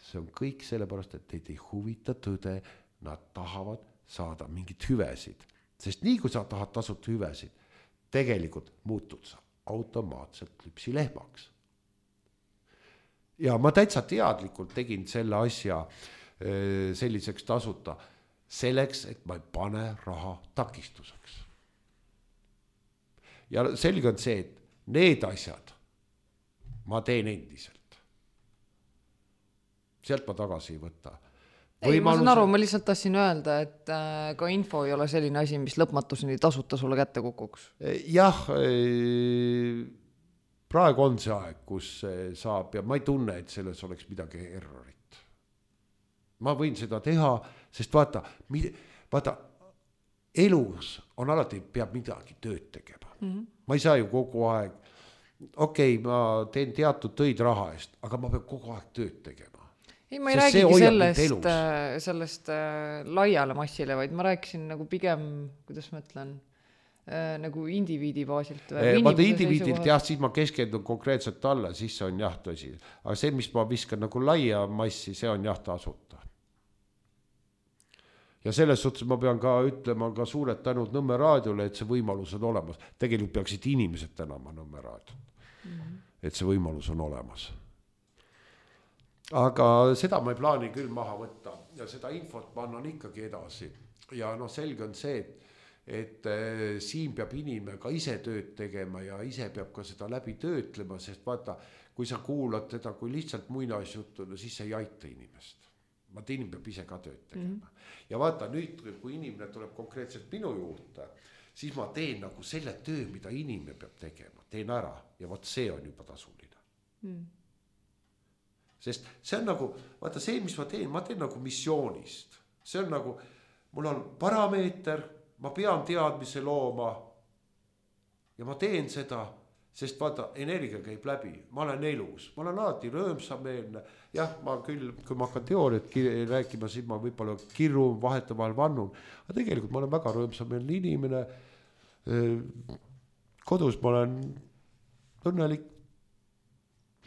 See on kõik sellepärast, et teid ei huvita tõde, nad tahavad saada mingit hüvesid. Sest nii kui sa tahad tasuta hüvesid, tegelikult muutud sa automaatselt lüpsilehmaks. Ja ma täitsa teadlikult tegin selle asja selliseks tasuta, selleks, et ma ei pane raha takistuseks. Ja selge on see, et need asjad ma teen endiselt. Sealt ma tagasi ei võta. Ei, ma saan aru, ma lihtsalt tahtsin öelda, et äh, ka info ei ole selline asi, mis lõpmatuseni tasuta sulle kätte kukuks. Jah, praegu on see aeg, kus saab ja ma ei tunne, et selles oleks midagi errorit. Ma võin seda teha, sest vaata, vaata elus on alati peab midagi tööd tegema. Mm-hmm. Ma ei saa ju kogu aeg, okei, okay, ma teen teatud töid raha eest, aga ma peab kogu aeg tööd tegema. Ei, ma ei Sest räägigi sellest, sellest äh, laiale massile, vaid ma rääkisin nagu pigem, kuidas ma ütlen, äh, nagu indiviidi baasilt või? Vaata indiviidilt jah, siis ma keskendun konkreetselt talle, siis see on jah tõsi. Aga see, mis ma viskan nagu laia massi, see on jah tasuta. Ja selles suhtes ma pean ka ütlema ka suured tänud Nõmme raadiole, et see võimalus on olemas. Tegelikult peaksid inimesed tänama Nõmme raadiot, mm-hmm. et see võimalus on olemas. Aga seda ma ei plaani küll maha võtta ja seda infot ma annan ikkagi edasi. Ja noh, selge on see, et, et siin peab inimene ka ise tööd tegema ja ise peab ka seda läbi töötlema, sest vaata, kui sa kuulad teda kui lihtsalt muinasjuttu, no siis see ei aita inimest. Vaata, inimene peab ise ka tööd tegema. Mm-hmm. Ja vaata, nüüd, kui inimene tuleb konkreetselt minu juurde, siis ma teen nagu selle töö, mida inimene peab tegema. Teen ära ja vaat see on juba tasuline. Mm. Sest see on nagu, vaata see, mis ma teen, ma teen nagu missioonist. See on nagu, mul on parameeter, ma pean teadmise looma ja ma teen seda, sest vaata, energia käib läbi, ma olen elus, ma olen alati rõõmsameelne. Jah, ma küll, kui ma hakkan teooriat rääkima, siis ma võib-olla kirun, vahetavahel vannun, aga tegelikult ma olen väga rõõmsameelne inimene. Kodus ma olen õnnelik,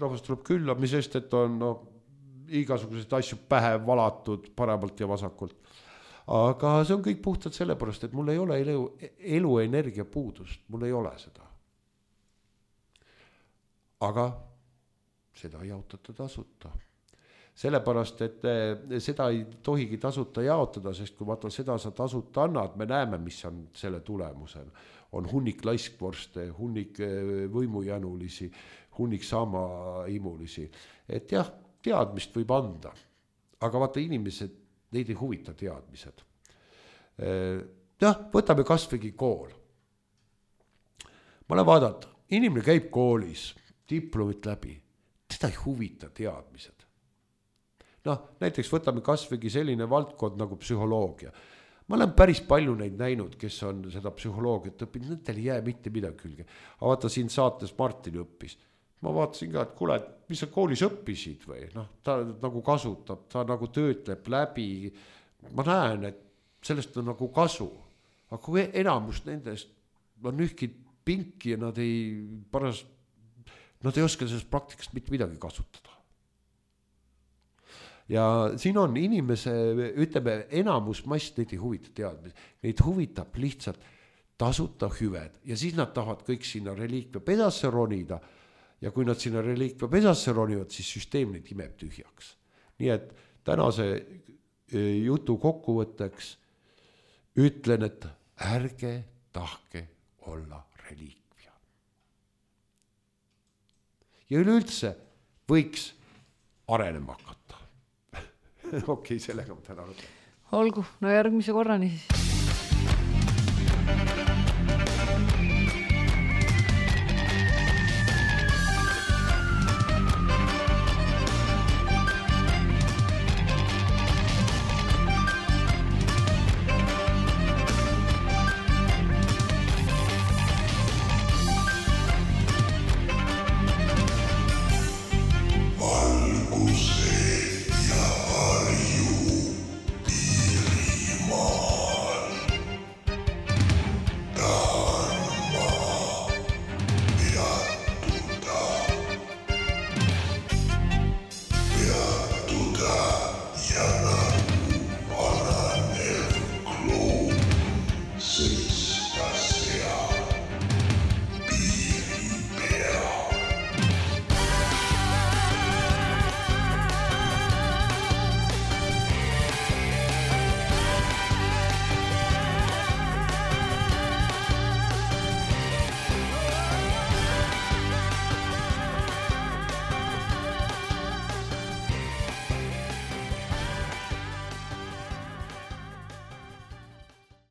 rahvas tuleb külla, mis sest, et on no, igasuguseid asju pähe valatud paremalt ja vasakult. Aga see on kõik puhtalt sellepärast, et mul ei ole elu, elu energia puudust, mul ei ole seda. Aga seda ei jaotata tasuta. Sellepärast, et seda ei tohigi tasuta jaotada, sest kui vaata seda sa tasuta annad, me näeme, mis on selle tulemusel. On hunnik laiskvorste, hunnik võimujänulisi, hunnik sama imulisi. Et jah, teadmist võib anda, aga vaata inimesed, neid ei huvita teadmised. Jah, võtame kasvõigi kool. Ma olen vaadata, inimene käib koolis, diplomit läbi, teda ei huvita teadmised. Noh, näiteks võtame kasvõigi selline valdkond nagu psühholoogia. Ma olen päris palju neid näinud, kes on seda psühholoogiat õppinud, nendel ei jää mitte midagi külge. Aga vaata siin saates Martin õppis. Ma vaatasin ka, et kuule, mis sa koolis õppisid või? Noh, ta nagu kasutab, ta nagu töötleb läbi. Ma näen, et sellest on nagu kasu. Aga kui enamus nendest on ühkid pinki ja nad ei, paras, nad ei oska sellest praktikast mitte midagi kasutada. Ja siin on inimese, ütleme, enamus mass neid ei huvita teadmisi. Neid huvitab lihtsalt tasuta hüved ja siis nad tahavad kõik sinna reliikvia pedasse ronida ja kui nad sinna reliikvia pedasse ronivad, siis süsteem neid imeb tühjaks. Nii et tänase jutu kokkuvõtteks ütlen, et ärge tahke olla reliikvia. Ja üleüldse võiks arenema hakata. Okei, sellega ma täna lõpetan. Olgu, no järgmise korrani siis.